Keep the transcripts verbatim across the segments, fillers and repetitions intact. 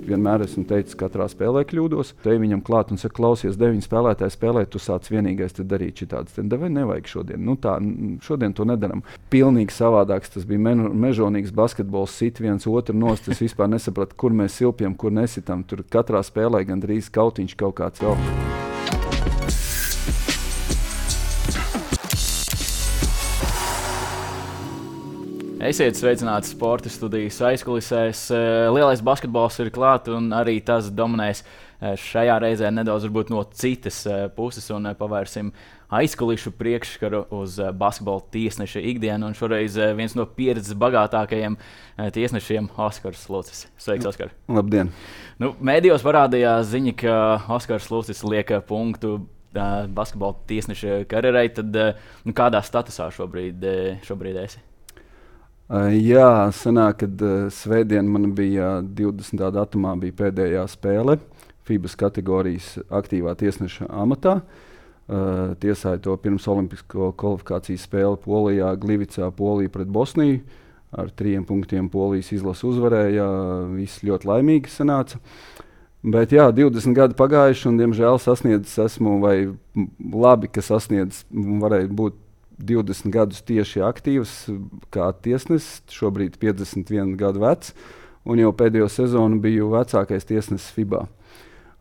vienmēr esmu teicis, katrā spēlē kļūdos. Te viņam klāt un saka, klausies, deviņi spēlētāji spēlē, tu sāc vienīgais te darīt šitādas. Tad vai nevajag šodien? Nu tā, šodien to nedaram. Pilnīgi savādāks, tas bija me mežonīgs basketbols, sit viens otru nost, es vispār nesapratu, kur mēs silpjam, kur nesitam. Tur katrā spēlē gandrīz kautiņš kaut kāds vēl. Esiet sveicināti sporta studijas aizkulisēs. Lielais basketbols ir klāt un arī tas dominēs šajā reizē nedaudz varbūt no citas puses un pavērsim aizkulišu priekšskaru uz basketbola tiesneša ikdienu. Un šoreiz viens no pieredzes bagātākajiem tiesnešiem Oskars Lucis. Sveiks, Oskar! Labdien! Nu, mēdījos parādījās ziņa, ka Oskars Lucis liek punktu basketbola tiesneša karjerai. Tad nu, kādā statusā šobrīd, šobrīd esi? Uh, jā, sanāk, kad uh, svētdien man bija divdesmitā datumā bija pēdējā spēle FIBAS kategorijas aktīvā tiesneša amatā. Uh, tiesāja to pirms olimpisko kvalifikācijas spēli Polijā, Glivicā, Polija pret Bosniju. Ar trījiem punktiem Polijas izlase uzvarēja, viss ļoti laimīgi sanāca. Bet jā, divdesmit gadi pagājuši un, diemžēl, sasniedzis esmu, vai labi, ka sasniedzis, varēja būt divdesmit gadus tieši aktīvs kā tiesnesis, šobrīd piecdesmit vienu gadu vecs, un jau pēdējo sezonu biju vecākais tiesnesis FIBA.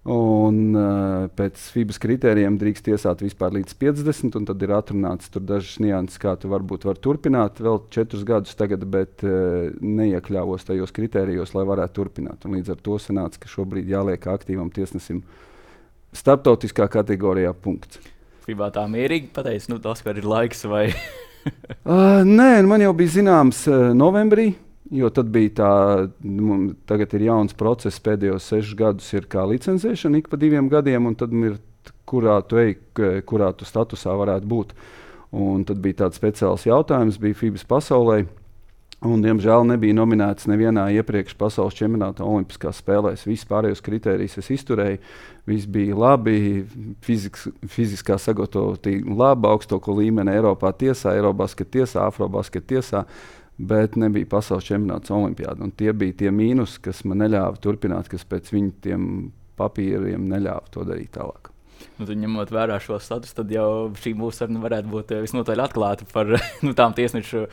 Un, uh, pēc FIBAS kritērijiem drīkst tiesāt vispār līdz piecdesmit, un tad ir atrunāts tur dažas nianses, kā tu varbūt var turpināt vēl četrus gadus tagad, bet uh, neiekļāvos tajos kritērijos, lai varētu turpināt. Un līdz ar to sanāca, ka šobrīd jāliek aktīvam tiesnesim starptautiskā kategorijā punkts. FIBA tā mierīgi pateicis, nu tas, ka ir laiks vai? uh, nē, man jau bija zināms uh, novembrī, jo tad bija tā, nu, tagad ir jauns process, pēdējos sešus gadus ir kā licencēšana ik pa diviem gadiem, un tad ir, kurā tu ej, kurā tu statusā varētu būt. Un tad bija tāds speciāls jautājums, bija FIBAS pasaulē, un, diemžēl, nebija nominēts nevienā iepriekš pasaules čempionāta olimpiskās spēlēs. Viss pārējos kritērijus es izturēju, viss bija labi, fiziks, fiziskā sagatavotība laba, augstāko līmeni Eiropā tiesā, Eirobasket tiesā, Afrobasket tiesā, bet nebija pasaules čempionāts olimpiāda. Un tie bija tie mīnus, kas man neļāva turpināt, kas pēc viņu tiem papīriem neļāva to darīt tālāk. Nu, ņemot vērā šo statusu, tad jau šī mūsu saruna varētu būt visnotaļ atklāta par nu, tām tiesnešu uh,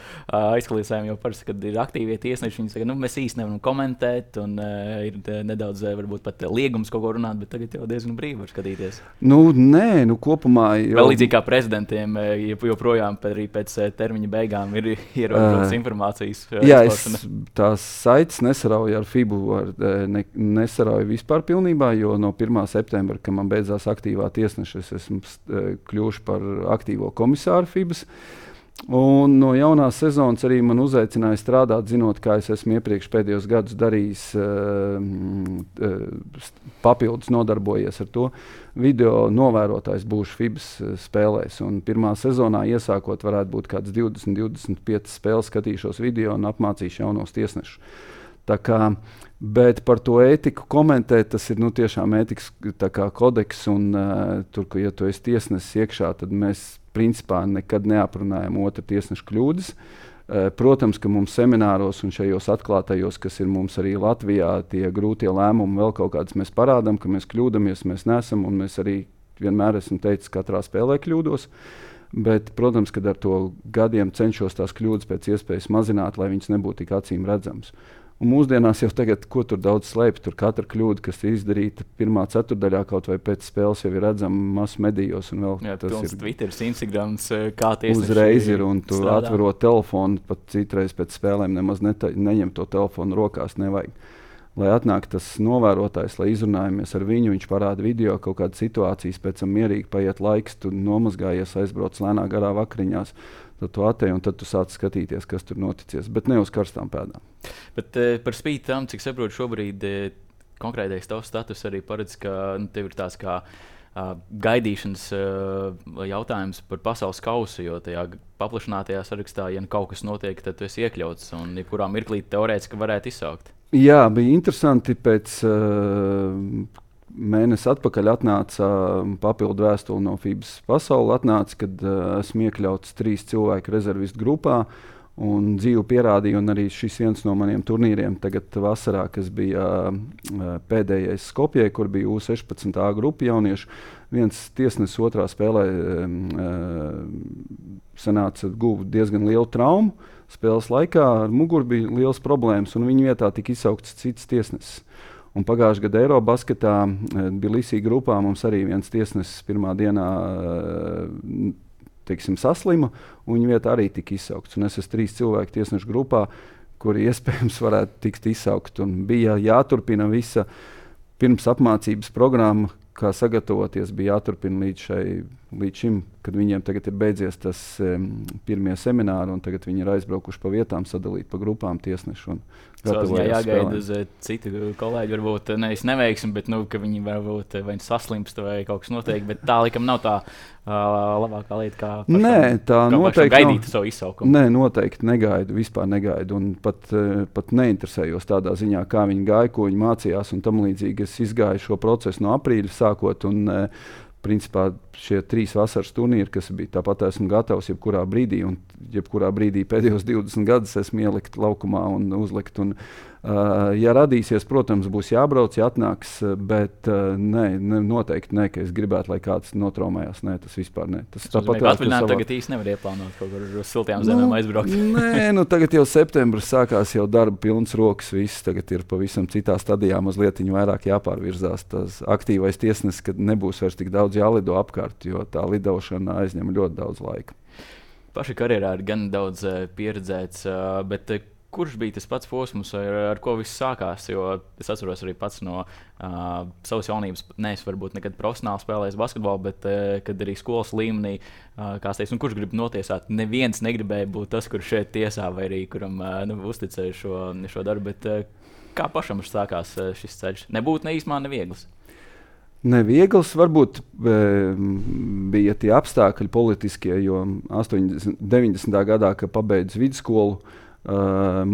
aizkulisēm. Jo parasti, kad ir aktīvie tiesneši, viņi saka, nu, mēs īsti nevaram komentēt, un uh, ir nedaudz uh, varbūt pat liegums kaut ko runāt, bet tagad jau diezgan brīvi var skatīties. Nu, nē, nu kopumā jau... Vēl līdzīgi kā prezidentiem, joprojām arī pēc termiņa beigām ir ierobežotas uh, informācijas. Uh, jā, es tās saites nesarauju ar FIBU, ar, ne, nesarauju vispār pilnībā, jo no pirmā septembra, kad man beidzās aktīvā tiesneša, es esmu kļuvuši par aktīvo komisāru FIBAS. Un no jaunās sezonas arī man uzaicināja strādāt, zinot, kā es esmu iepriekš pēdējos gadus darījis, papildus nodarbojies ar to. Video novērotājs būšu FIBAS spēlēs. Un pirmā sezonā iesākot varētu būt kāds divdesmit divdesmit pieci spēles, skatīšos video un apmācīšu jaunos tiesnešus. Tā kā, bet par to ētiku komentēt, tas ir nu, tiešām ētikas kā kodeks, un uh, tur, ka, ja tu esi tiesnesis iekšā, tad mēs principā nekad neaprunājam otru tiesnešu kļūdas. Uh, protams, ka mums semināros un šajos atklātajos, kas ir mums arī Latvijā, tie grūtie lēmumi vēl kaut kādas mēs parādām, ka mēs kļūdamies, mēs nesam, un mēs arī vienmēr esam teicis, katrā spēlē kļūdos. Bet, protams, kad ar to gadiem cenšos tās kļūdas pēc iespējas mazināt, lai viņas nebūtu tik acīm redzamas. Un mūsdienās jau tagad, ko tur daudz slēpj, tur katra kļūda, kas ir izdarīta pirmā ceturdaļā kaut vai pēc spēles, jau ir redzama masu medijos. Un vēl jā, tas ir Twitter, Instagrams, kā tiesneši uzreiz ir, un tu strādā. atverot telefonu, pat citreiz pēc spēlēm nemaz neta, neņem to telefonu rokās, nevajag. Lai atnāk tas novērotājs, lai izrunājamies ar viņu, viņš parāda video, kaut kādas situācijas, pēc tam mierīgi paiet laiks, tu nomazgājies, aizbrauc lēnā garā vakariņās, tad tu atēji un tad tu sāc skatīties, kas tur noticies, bet ne uz karstām pēdām. Bet eh, par spīti tam, cik saprotu, šobrīd eh, konkrētais tavs status arī paredz, ka nu, tev ir tāds kā uh, gaidīšanas uh, jautājums par pasaules kausu, jo tajā paplašinātajā sarakstā, ja kaut kas notiek, tad tu esi iekļauts un jebkurā mirklī teorētiski varētu izsaukt. Jā, bija interesanti. Pēc uh, mēnesi atpakaļ atnāca uh, papildu vēstuli no FIBAS pasauli, atnāca, kad uh, esmu iekļauts trīs cilvēku rezervistu grupā. Un dzīve pierādīja, un arī šis viens no maniem turnīriem tagad vasarā, kas bija uh, pēdējais Skopjē, kur bija U sešpadsmit A grupa jauniešu. Viens tiesnesis otrā spēlē uh, sanāca guva diezgan lielu traumu. Spēles laikā ar muguru bija liels problēmas, un viņa vietā tika izsaukts cits tiesnesis. Un pagājušajā gadā Eirobasketā uh, Bilisī grupā mums arī viens tiesnesis pirmā dienā uh, teiksim, saslima, un viņa vietā arī tika izsaukts. Un es esmu trīs cilvēku tiesnešu grupā, kuri iespējams varētu tikt izsaukt. Un bija jāturpina visa pirms apmācības programma, kā sagatavoties, bija jāturpina līdz, šai, līdz šim, kad viņiem tagad ir beidzies tas um, pirmie semināri, un tagad viņi ir aizbraukuši pa vietām, sadalīt pa grupām tiesnešu. Jā, jāgaida uz uh, citu kolēģi, varbūt nevis neveiksmi, bet nu, ka viņi varbūt vai saslimst vai kaut kas notiek, bet tā likam nav tā uh, labākā lieta, kā pašam, Nē, tā kā noteikti gaidīt nav. savu izsaukumu. Nē, noteikti negaidu, vispār negaidu, un pat, uh, pat neinteresējos tādā ziņā, kā viņi gāja, ko viņi mācījās, un tam līdzīgi es izgāju šo procesu no aprīļa sākot, un uh, principā šie trīs vasaras turnīri, kas bija tāpat esmu gatavs jebkurā brīdī, un jebkurā brīdī pēdējos divdesmit gadus esmu ielikt laukumā un uzlikt. Un, uh, ja radīsies, protams, būs jābrauc, jāatnāks, bet uh, nē, ne, noteikti nē, ka es gribētu, lai kāds notraumējās. Nē, tas vispār nē. Tas tāpat atvaļināt savā... tagad īsti nevar ieplānot kaut kur uz siltajām zemēm nu, aizbraukt. Nē, nu tagad jau septembris sākās jau darba pilns rokas, viss tagad ir pavisam citā stadijā, mazliet vairāk jāpārvirzās. Tas aktīvais tiesnesis, kad nebūs vairs tik daudz jālido apkārt, jo tā lidošana aizņem ļoti daudz laika. Paša karjerā ir gan daudz uh, pieredzēts, uh, bet uh, kurš bija tas pats posms, ar, ar ko viss sākās? Jo es atceros arī pats no uh, savas jaunības, ne es varbūt nekad profesionāli spēlējis basketbolu, bet uh, kad arī skolas līmenī, uh, kā es teicu, kurš grib notiesāt, neviens negribēja būt tas, kurš šeit tiesā vai arī kuram uh, nu, uzticēja šo, šo darbu, bet uh, kā pašam sākās uh, šis ceļš? Nebūtu ne īsmā neviegls. Neviegls varbūt e, bija tie apstākļi politiskie, jo astoņdesmit, deviņdesmitā gadā, kad pabeidzu vidusskolu, e,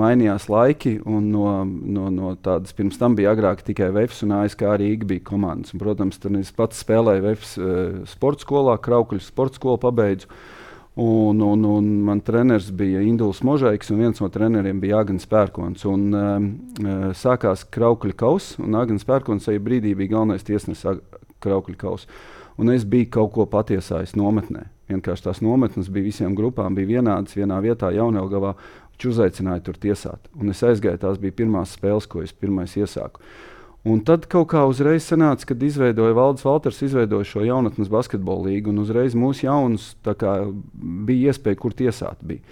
mainījās laiki, un no, no, no tādas pirms tam bija agrāk tikai Vefs un A S K Rīga bija komandas. Un, protams, tad es pats spēlēju Vefs e, sporta skolā, Kraukļu sporta skolu pabeidzu. Un, un, un man treneris bija Induls Možaiks, un viens no treneriem bija Agnes Pērkons. Un, um, sākās Kraukļu kauss, un Agnes Pērkons tajā brīdī bija galvenais tiesnesis Kraukļu kauss. Un es biju kaut ko patiesājis nometnē. Vienkārši tās nometnes bija visiem grupām, bija vienādas vienā vietā Jaunelgavā, viņš uzaicināja tur tiesāt. Un es aizgāju, tās bija pirmās spēles, ko es pirmais iesāku. Un tad kaut kā uzreiz sanāca, kad izveidoja Valdis Valters, izveidoja šo jaunatnes basketbola līgu, un uzreiz mūsu jaunus tā kā bija iespēja, kur tiesāt bija.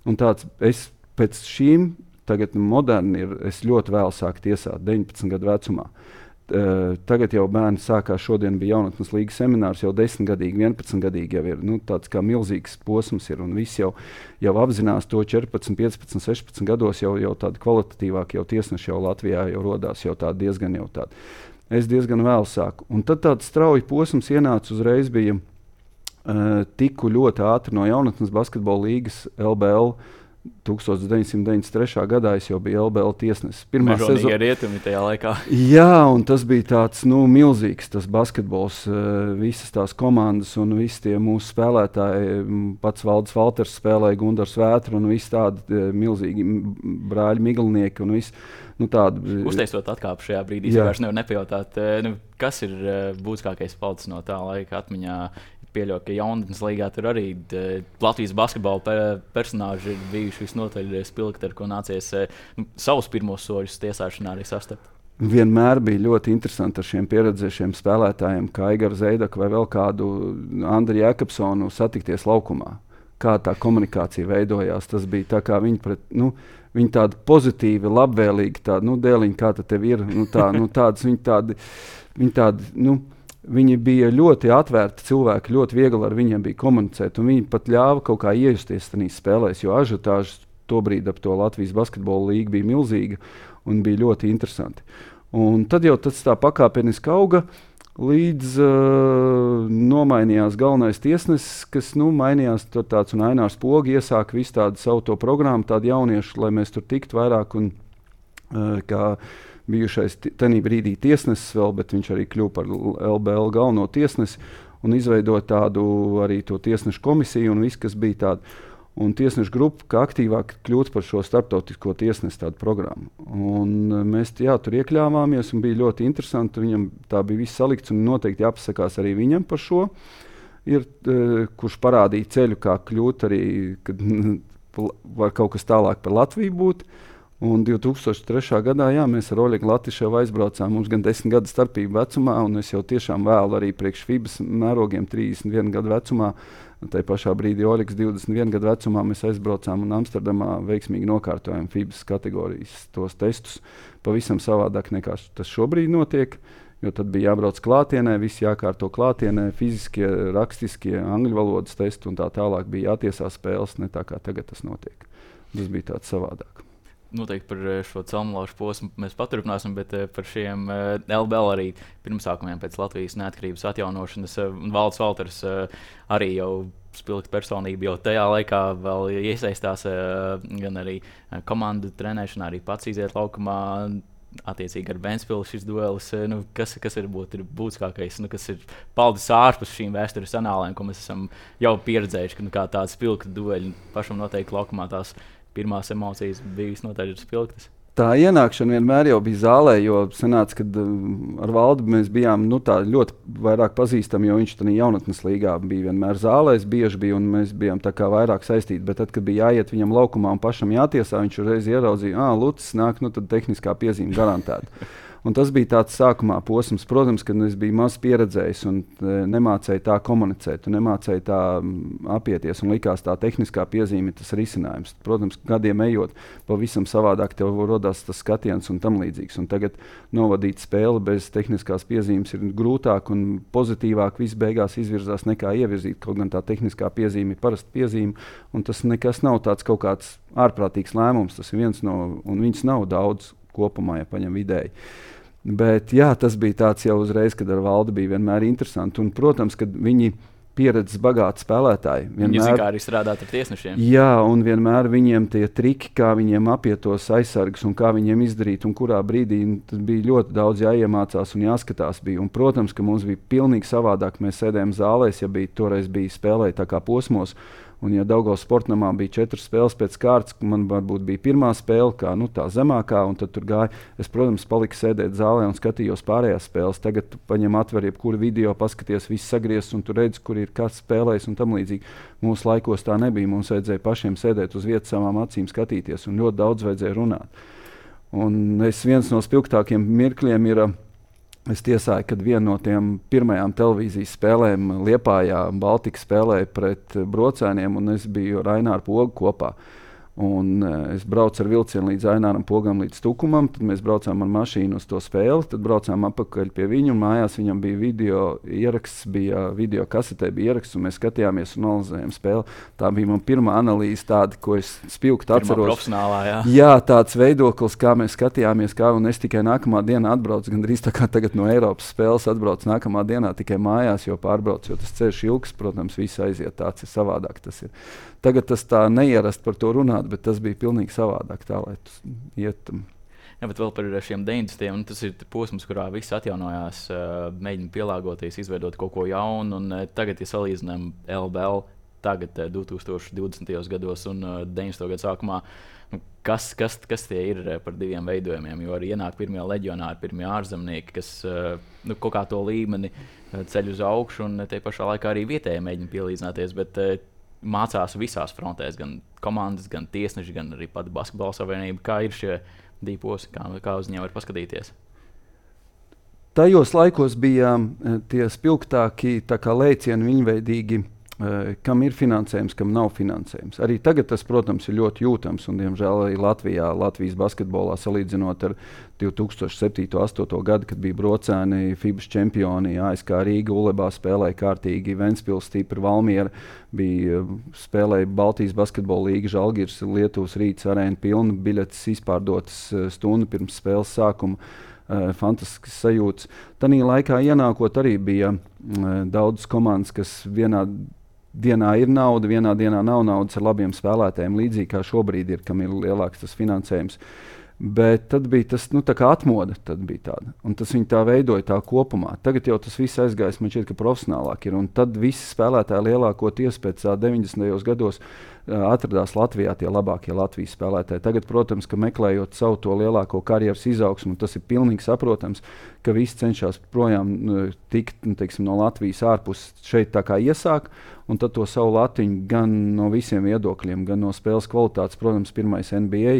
Un tāds, es pēc šīm, tagad moderni ir, es ļoti vēl sāku tiesāt, deviņpadsmit gadu vecumā. Uh, tagad jau bērni sākās, šodien bija jaunatnes līgas seminārs, jau desmitgadīgi, vienpadsmitgadīgi jau ir, nu, tāds kā milzīgs posms ir, un visi jau, jau apzinās to četrpadsmit, piecpadsmit, sešpadsmit gados, jau, jau tādi kvalitatīvāki jau tiesneši jau Latvijā jau rodās, jau tādi diezgan jau tādi. Es diezgan vēl sāku. Un tad tāds strauji posms ienāca uzreiz bija uh, tiku ļoti ātri no jaunatnes basketbola līgas L B L. deviņdesmit deviņdesmit trešā gadā es jau biju L B L tiesnesis. Mežonīgie rietumi tajā laikā. Jā, un tas bija tāds nu, milzīgs tas basketbols, uh, visas tās komandas un visi tie mūsu spēlētāji, pats Valdis Valters spēlēja, Gundars Vētra un visi tādi uh, milzīgi brāļi Miglinieki un visi. Nu, tādi, Uzteicot atkāpu šajā brīdī, es vairs nevaru nepajautāt, uh, nu, kas ir uh, būtiskākais palicis no tā laika atmiņā. Pieļauju, ka jaunatnes līgā tur arī de, Latvijas basketbola pe, personāži ir bijuši visnotaļ spilgti, ar ko nācies nu, savus pirmos soļus tiesāšanā arī sastapt. Vienmēr bija ļoti interesanti ar šiem pieredzējušiem spēlētājiem, kā Aigaru Zeidaku vai vēl kādu Andriu Jēkabsonu satikties laukumā. Kā tā komunikācija veidojās, tas bija tā kā viņi pret, nu, viņi tādi pozitīvi, labvēlīgi, tādi, nu, dēliņi, kā tad tev ir, nu, tā, nu, tādas, viņi tādi, viņi tādi, nu, viņi bija ļoti atvērti cilvēki, ļoti viegli ar viņiem bija komunicēt, un viņi pat ļāva kaut kā iejusties tajās spēlēs, jo ažiotāžas tobrīd ap to Latvijas basketbola līgu bija milzīga un bija ļoti interesanti. Un tad jau tas tā pakāpeniski auga, līdz uh, nomainījās galvenais tiesnesis, kas nu, mainījās tāds un Ainārs Pogi iesāka visu tādu savu to programmu, tādu jauniešu, lai mēs tur tiktu vairāk un uh, kā bijušais tenī brīdī tiesnesis vēl, bet viņš arī kļuva par L B L galveno tiesnesi un izveidoja tādu arī to tiesnešu komisiju un viss, kas bija tādu. un tiesnešu grupa, kā aktīvāk kļūt par šo starptautisko tiesnesu tādu programmu. Un mēs jā, tur iekļāvāmies un bija ļoti interesanti. Viņam tā bija viss salikts un noteikti jāpasakās arī viņam par šo. Ir, kurš parādīja ceļu, kā kļūt arī, kad var kaut kas tālāk par Latviju būt. Un divi tūkstoši trešā gadā jā, mēs ar Oļegu Latiševu aizbraucām. Mums gan desmit gadu starpība vecumā, un es jau tiešām vēlu arī priekš FIBAS mērogiem trīsdesmit vienu gadu vecumā. Tā pašā brīdī Oļegs divdesmit vienu gadu vecumā mēs aizbraucām un Amsterdamā veiksmīgi nokārtojām FIBAS kategorijas tos testus. Pavisam savādāk nekā tas šobrīd notiek, jo tad bija jābrauc klātienē, viss jākārto klātienē, fiziskie, rakstiskie, angļu valodas testi un tā tālāk bija jātiesā spēles, ne tā kā tagad tas notiek. Tas bija tāds savādāk. Noteikti par šo celmlaušu posmu mēs paturpināsim, bet par šiem L B L arī pirmsākumiem pēc Latvijas neatkarības atjaunošanas. Valds Valters arī jau spilgta personība, jau tajā laikā vēl iesaistās gan arī komandu trenēšanā, arī pats iziet laukumā. Attiecīgi ar Ventspili šis duelis, nu, kas, kas ir, būt, ir būtiskākais, nu, kas ir paldis ārpus šīm vēstures anālēm, ko mēs esam jau pieredzējuši, ka nu, kā tāds spilgta dueļi pašam noteikti laukumā tās pirmās emocijas bija visnotaļ spilgtas. Tā ienākšana vienmēr jau bija zālē, jo sanāca, kad um, ar Valdu mēs bijām nu, tā ļoti vairāk pazīstami, jo viņš tādā jaunatnes līgā bija vienmēr zālēs, bieži bija, un mēs bijām tā kā vairāk saistīti. Bet tad, kad bija jāiet viņam laukumā un pašam jātiesā, viņš uzreiz ieraudzīja, ā, Lucis nāk, nu tad tehniskā piezīme garantēta. Un tas bija tāds sākumā posms, protams, kad es biju maz pieredzējis un e, nemācēju tā komunicēt, un nemācēju tā m, apieties, un likās tā tehniskā piezīme tas risinājums. Protams, gadiem ejot, pavisam savādāk tev rodās tas skatiens un tam līdzīgs. Un tagad novadīt spēli bez tehniskās piezīmes ir grūtāk un pozitīvāk viss beigās izvirzās nekā ievirzīt, kaut gan tā tehniskā piezīme ir parasta piezīme, un tas nekas nav tāds kaut kāds ārprātīgs lēmums, tas ir viens no, un viņas nav daudz kopumā, ja paņem vidēji. Bet jā, tas bija tāds jau uzreiz, kad ar Valdu bija vienmēr interesanti. Un, protams, kad viņi pieredzes bagāti spēlētāji. Vienmēr, viņi zina, kā arī strādāt ar tiesnešiem. Jā, un vienmēr viņiem tie triki, kā viņiem apiet tos aizsargus un kā viņiem izdarīt un kurā brīdī. Tas bija ļoti daudz jāiemācās un jāskatās. Bija. Un, protams, ka mums bija pilnīgi savādāk. Mēs sēdējām zālēs, ja bija, toreiz bija spēlēja tā kā posmos. Un, ja Daugavas sportnamā bija četras spēles pēc kārtas, man varbūt bija pirmā spēle, kā nu, tā zemākā, un tad tur gāja. Es, protams, paliku sēdēt zālē un skatījos pārējās spēles. Tagad tu paņem atver jebkuru video, paskaties, viss sagriezts, un tu redzi, kur ir kāds spēlējis un tam līdzīgi. Mūsu laikos tā nebija. Mums vajadzēja pašiem sēdēt uz vietas savām acīm skatīties, un ļoti daudz vajadzēja runāt. Un es viens no spilgtākiem mirkļiem ir... Es tiesāju, kad viena no tiem pirmajām televīzijas spēlēm Liepājā Baltika spēlēja pret Brocēniem, un es biju ar Aināru Pogu kopā. Un, uh, es braucu ar vilcienu līdz Aināram Pogam līdz Tukumam, tad mēs braucām ar mašīnu uz to spēli, tad braucām apakaļ pie viņu, un mājās viņam bija video ieraksts, bija video kasetē bija ieraksts, un mēs skatījāmies un analizējām spēli. Tā bija man pirmā analīze tāda, ko es spilgti atceros. Profesionālā, jā. Jā, tāds veidoklis, kā mēs skatījāmies, kā, un es tikai nākamā dienā atbraucu, gandrīz tā kā tagad no Eiropas spēles atbraucu nākamā dienā tikai mājās, jo pārbraucu, jo tas ceļš ilgs, protams, viss aiziet, tāds ir savādāk tas ir. Tagad tas tā neierast par to runāt, bet tas bija pilnīgi savādāk tā, lai tas iet. Jā, bet vēl par šiem deviņdesmitiem, tas ir posms, kurā viss atjaunojās, mēģina pielāgoties, izveidot kaut ko jaunu, un tagad, ja salīdzinām L B L, tagad divtūkstoš divdesmitajos gados un deviņdesmito gadu sākumā, kas, kas, kas tie ir par diviem veidojumiem, jo arī ienāk pirmie leģionāri, pirmie ārzemnieki, kas nu, kaut kā to līmeni ceļ uz augšu, un te pašā laikā arī vietēji mēģina pielīdzināties, bet mācās visās frontēs, gan komandas, gan tiesneši, gan arī pati basketbola savienība. Kā ir šie divi posmi, kā, kā uz viņiem var paskatīties? Tajos laikos bija tie spilgtāki lēcieni viņveidīgi, kam ir finansējums, kam nav finansējums. Arī tagad tas, protams, ir ļoti jūtams, un, diemžēl, arī Latvijā, Latvijas basketbolā salīdzinot ar divi tūkstoši septīto astoto gadu, kad bija Brocēni, FIBAS čempioni, A S K Rīga, Ulebā spēlēja kārtīgi, Ventspils, Stipra, Valmiera, bija spēlēja Baltijas basketbola līga, Žalgiris, Lietuvas Rīts, arēna pilna, biļetes izpārdotas stundu pirms spēles sākuma. Uh, fantastisks sajūts. Tanī laikā ienākot arī bija uh, daudz komandas, kas vienā dienā ir nauda, vienā dienā nav naudas ar labiem spēlētājiem, līdzīgi kā šobrīd ir, kam ir lielāks tas finansējums. Bet tad bija tas, nu, tā kā atmoda, tad bija tāda. Un tas viņi tā veidoja tā kopumā. Tagad jau tas viss aizgājis, man šķiet, ka profesionālāk ir. Un tad visi spēlētāji lielākoties pēc tā deviņdesmitajos gados uh, atradās Latvijā, tie labākie Latvijas spēlētāji. Tagad, protams, ka meklējot savu to lielāko karjeras izaugsmu, tas ir pilnīgi saprotams, ka visi cenšas projām uh, tikt, nu, teiksim, no Latvijas ārpus šeit tā kā iesāk, un tad to savu latiņu gan no visiem viedokļiem, gan no spēles kvalitātes, protams, pirmais N B A,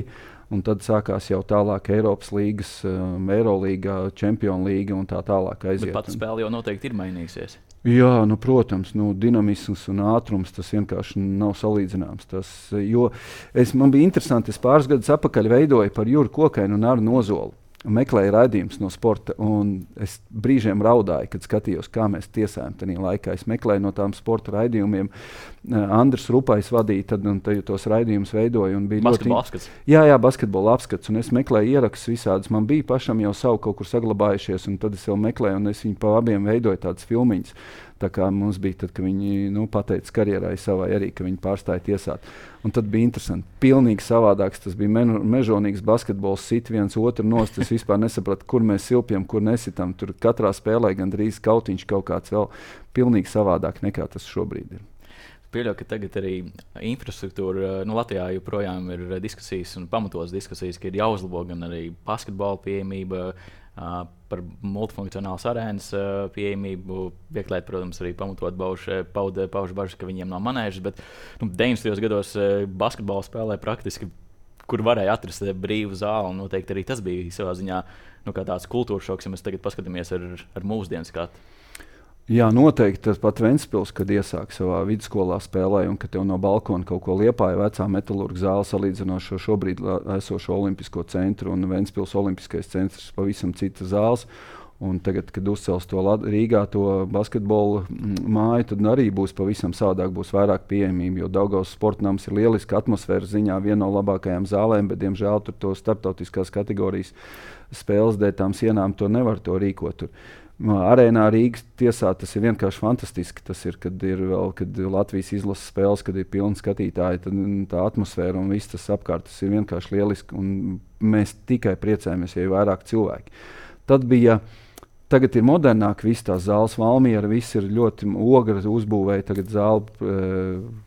un tad sākās jau tālāk Eiropas līgas, um, Eirolīga, Čempionu līga un tā tālāk aiziet. Bet pats spēle jau noteikti ir mainījusies. Jā, nu, protams, nu, dinamisms un ātrums tas vienkārši nav salīdzināms. Tas, jo es, man bija interesanti, es pāris gadus atpakaļ veidoju par Juru Kokainu un Arnu Ozolu. Meklēju raidījumus no sporta, un es brīžiem raudāju, kad skatījos, kā mēs tiesājam tajā laikā. Es meklēju no tām sporta raidījumiem. Uh, Andris Rupais vadīja, tad un tad tos raidījumus veidoja. Basketbola apskats. Jā, jā, basketbola apskats, un es meklēju ierakstus visādus. Man bija pašam jau savu kaut kur saglabājušies, un tad es vēl meklēju, un es viņu pa abiem veidoju tādas filmiņas. Tā kā mums bija, tad, kad viņi nu, pateica karjerai savai arī, ka viņi pārstāja tiesāt. Un tad bija interesanti. Pilnīgi savādāks. Tas bija me- mežonīgs basketbols, sit viens otru nost. Es vispār nesapratu, kur mēs silpjam, kur nesitam. Tur katrā spēlē gandrīz kautiņš kaut kāds vēl pilnīgi savādāk nekā tas šobrīd ir. Pieļauju, ka tagad arī infrastruktūra, nu, Latvijā joprojām ir diskusijas un pamatotas diskusijas, ka ir jāuzlabo gan arī basketbola pieejamība, uh, par multifunkcionālas arēnas uh, pieejamību. Vieglēt, protams, arī pamatot pauž, pauž, pauž bažas, ka viņiem nav manēžas, bet nu, deviņdesmitajos gados uh, basketbolu spēlē praktiski, kur varēja atrast brīvu zāli. Noteikti arī tas bija savā ziņā nu, kā tāds kultūras šoks, ja mēs tagad paskatāmies ar, ar mūsdienu skatu. Jā, noteikti tas pat Ventspils, kad iesāk savā vidusskolā spēlē, un ka tev no balkona kaut ko Liepāja vecā metalurga zāle salīdzinošo šobrīd esošo olimpisko centru, un Ventspils olimpiskais centrs pavisam citas zāles. Un tagad, kad uzcels to Rīgā, to basketbolu māju, tad arī būs pavisam savādāk, būs vairāk pieejamība, jo Daugavas sportnams ir lieliska atmosfēras ziņā, viena no labākajām zālēm, bet, diemžēl, tur to starptautiskās kategorijas spēles dēļ tām sienām to nevar to rīkot. Tur. Arēnā Rīgas tiesā tas ir vienkārši fantastiski. Tas ir, kad ir vēl, kad Latvijas izlases spēles, kad ir pilni skatītāji, tad tā atmosfēra un viss tas apkārt, tas ir vienkārši lieliski. Un mēs tikai priecājamies, ja ir vairāk cilvēki. Tad bija, tagad ir modernāk, viss tās zāles Valmiera, viss ir ļoti ogra uzbūvēja. Tagad zāle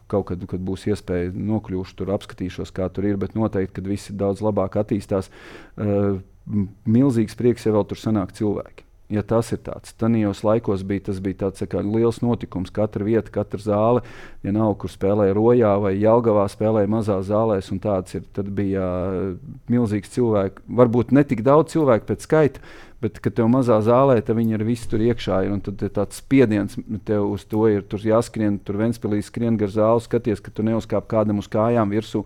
kaut kad, kad būs iespēja nokļūšu tur, apskatīšos, kā tur ir, bet noteikti, kad viss ir daudz labāk attīstās, milzīgs prieks, ja vēl tur sanāk cilvēki. Ja tas ir tāds, tanījos laikos bija, tas bija tāds kā liels notikums, katra vieta, katra zāle, vienalga, kur spēlēja Rojā vai Jelgavā spēlēja mazās zālēs, un tāds ir, tad bija milzīgs cilvēku, varbūt ne tik daudz cilvēku pēc skaita, bet, kad tev mazā zālē, tad viņi ar visu tur iekšā ir, un tad ir tāds spiediens, tev uz to ir, tur jāskrien, tur Ventspilī skrien gar zāli, skaties, ka tu neuzkāp kādam uz kājām virsū.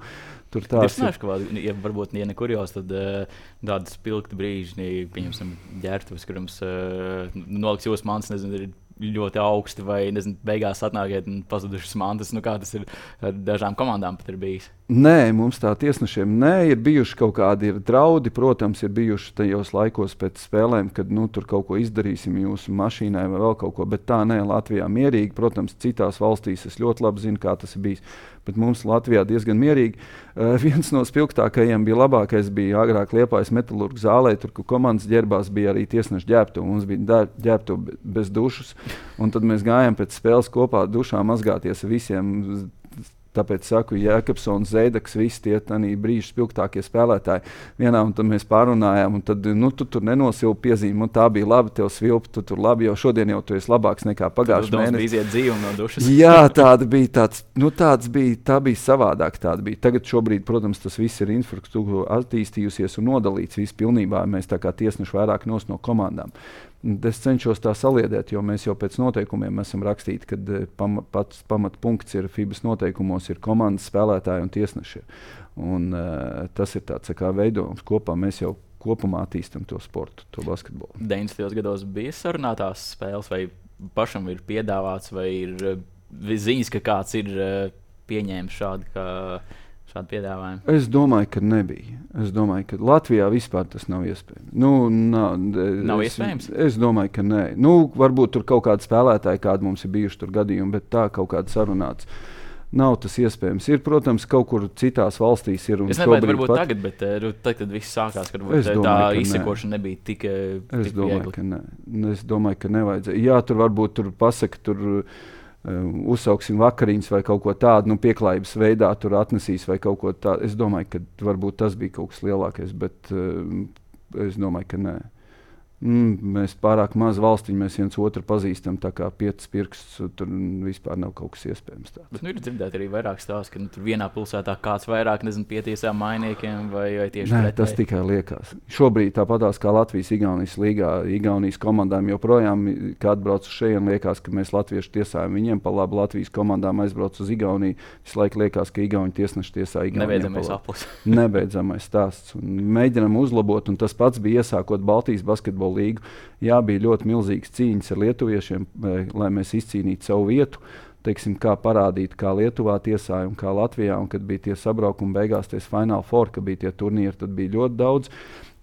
Tur tāds ir. Ka, ja varbūt, ja nekur jau, tad uh, tādi spilgti brīži, pieņemsim, ģērbtuves, kurams uh, noliks jūsu mantas, nezinu, ir ļoti augsti vai, nezinu, beigās atnākiet un pazudušas mantas. Nu, kā tas ir ar dažām komandām pat ir bijis? Nē, mums tā tiesnešiem nē, ir bijuši kaut kādi ir draudi, protams, ir bijuši tajos laikos pēc spēlēm, kad nu, tur kaut ko izdarīsim jūsu mašīnai vai vēl kaut ko, bet tā nē, Latvijā mierīgi, protams, citās valstīs es ļoti labi zinu, kā tas ir bijis, bet mums Latvijā diezgan mierīgi. Uh, viens no spilgtākajiem bija labākais, bija agrāk Liepājas metalurga zālē, tur, kur komandas ģērbās, bija arī tiesnešu ģērbtuve, mums bija ģērbtuve bez dušas, un tad mēs gājām pēc spēles kopā dušā mazgāties visiem. Tāpēc saku, Jēkabsons, Zeidaks, visi tie brīži spilgtākie spēlētāji. Vienā un tad mēs pārunājām, un tad, nu, tu tur nenosilpi piezīmi, un tā bija labi, tev svilpi, tu tur labi, jo šodien jau tu esi labāks nekā pagājušajā mēnesī. Tu iziet dzīvi no dušas. Jā, tāda bija tāds, nu tāds bija, tā bija savādāk tāda bija. Tagad šobrīd, protams, tas viss ir infrastruktūra attīstījusies un nodalīts viss pilnībā. Mēs tā kā tiesneši vairāk nos no komandām. Es cenšos tā saliedēt, jo mēs jau pēc noteikumiem esam rakstīti, kad pam, pats pamatpunkts ir FIBAS noteikumos, ir komandas spēlētāji un tiesneši. Un, uh, tas ir tāds kā veidojums kopā. Mēs jau kopumā attīstam to sportu, to basketbolu. deviņdesmitajos gados bija sarunātās spēles, vai pašam ir piedāvāts, vai ir ziņas, ka kāds ir pieņēmis šādu kā šādu piedāvājumu? Es domāju, ka nebija. Es domāju, ka Latvijā vispār tas nav iespējams. Nu, nav nav es, iespējams? Es domāju, ka nē. Nu, varbūt tur kaut kādi spēlētāji, kādi mums ir bijuši tur gadījumi, bet tā kaut kāda sarunāts. nav tas iespējams. Ir, protams, kaut kur citās valstīs ir. Es nezinu, varbūt pat... tagad, bet uh, tad, kad viss sākās, kad varbūt, domāju, tā izsekošana ne. nebija tik, tik es domāju, viegli. Ka ne. Es domāju, ka nevajadzēja. Jā, tur varbūt tur pasaka, tur uh, uzsauksim vakariņas vai kaut ko tādu, nu, pieklājības veidā tur atnesīs vai kaut ko tādu. Es domāju, ka varbūt tas bija kaut kas lielākais, bet uh, es domāju, ka nē. Mm, mēs pārāk maz valstiņi, mēs viens otru pazīstam, tā kā piecas pirkstus, tur vispār nav kaut kas iespējams tāds. Bet nu, ir dzirdēt arī vairāk stāsts, ka nu, tur vienā pilsētā kāds vairāk, nezinu, pietiesā mainiekiem vai, vai tieši Nē, pretēji. Tas tikai liekas. Šobrīd tāpatās kā Latvijas-Igaunijas līgā, Igaunijas komandām joprojām, kad atbrauc uz šejien, liekas, ka mēs latvieši tiesājam viņiem pa labu, Latvijas komandām aizbrauc uz Igauniju, visu laiku liekas, ka Igauni tiesneši tiesā Igauniem. Nebeidzamais aplis. Nebeidzamais stāsts. Un mēģinam uzlabot, un tas pats bija iesākot Baltijas basketbola līgu. Jā, bija ļoti milzīgas cīņas ar lietuviešiem, lai mēs izcīnītu savu vietu. Teiksim, kā parādīt, kā Lietuvā tiesāja un kā Latvijā, un kad bija tie sabraukumi beigās, ties Final Four, kad bija tie turnīri, tad bija ļoti daudz.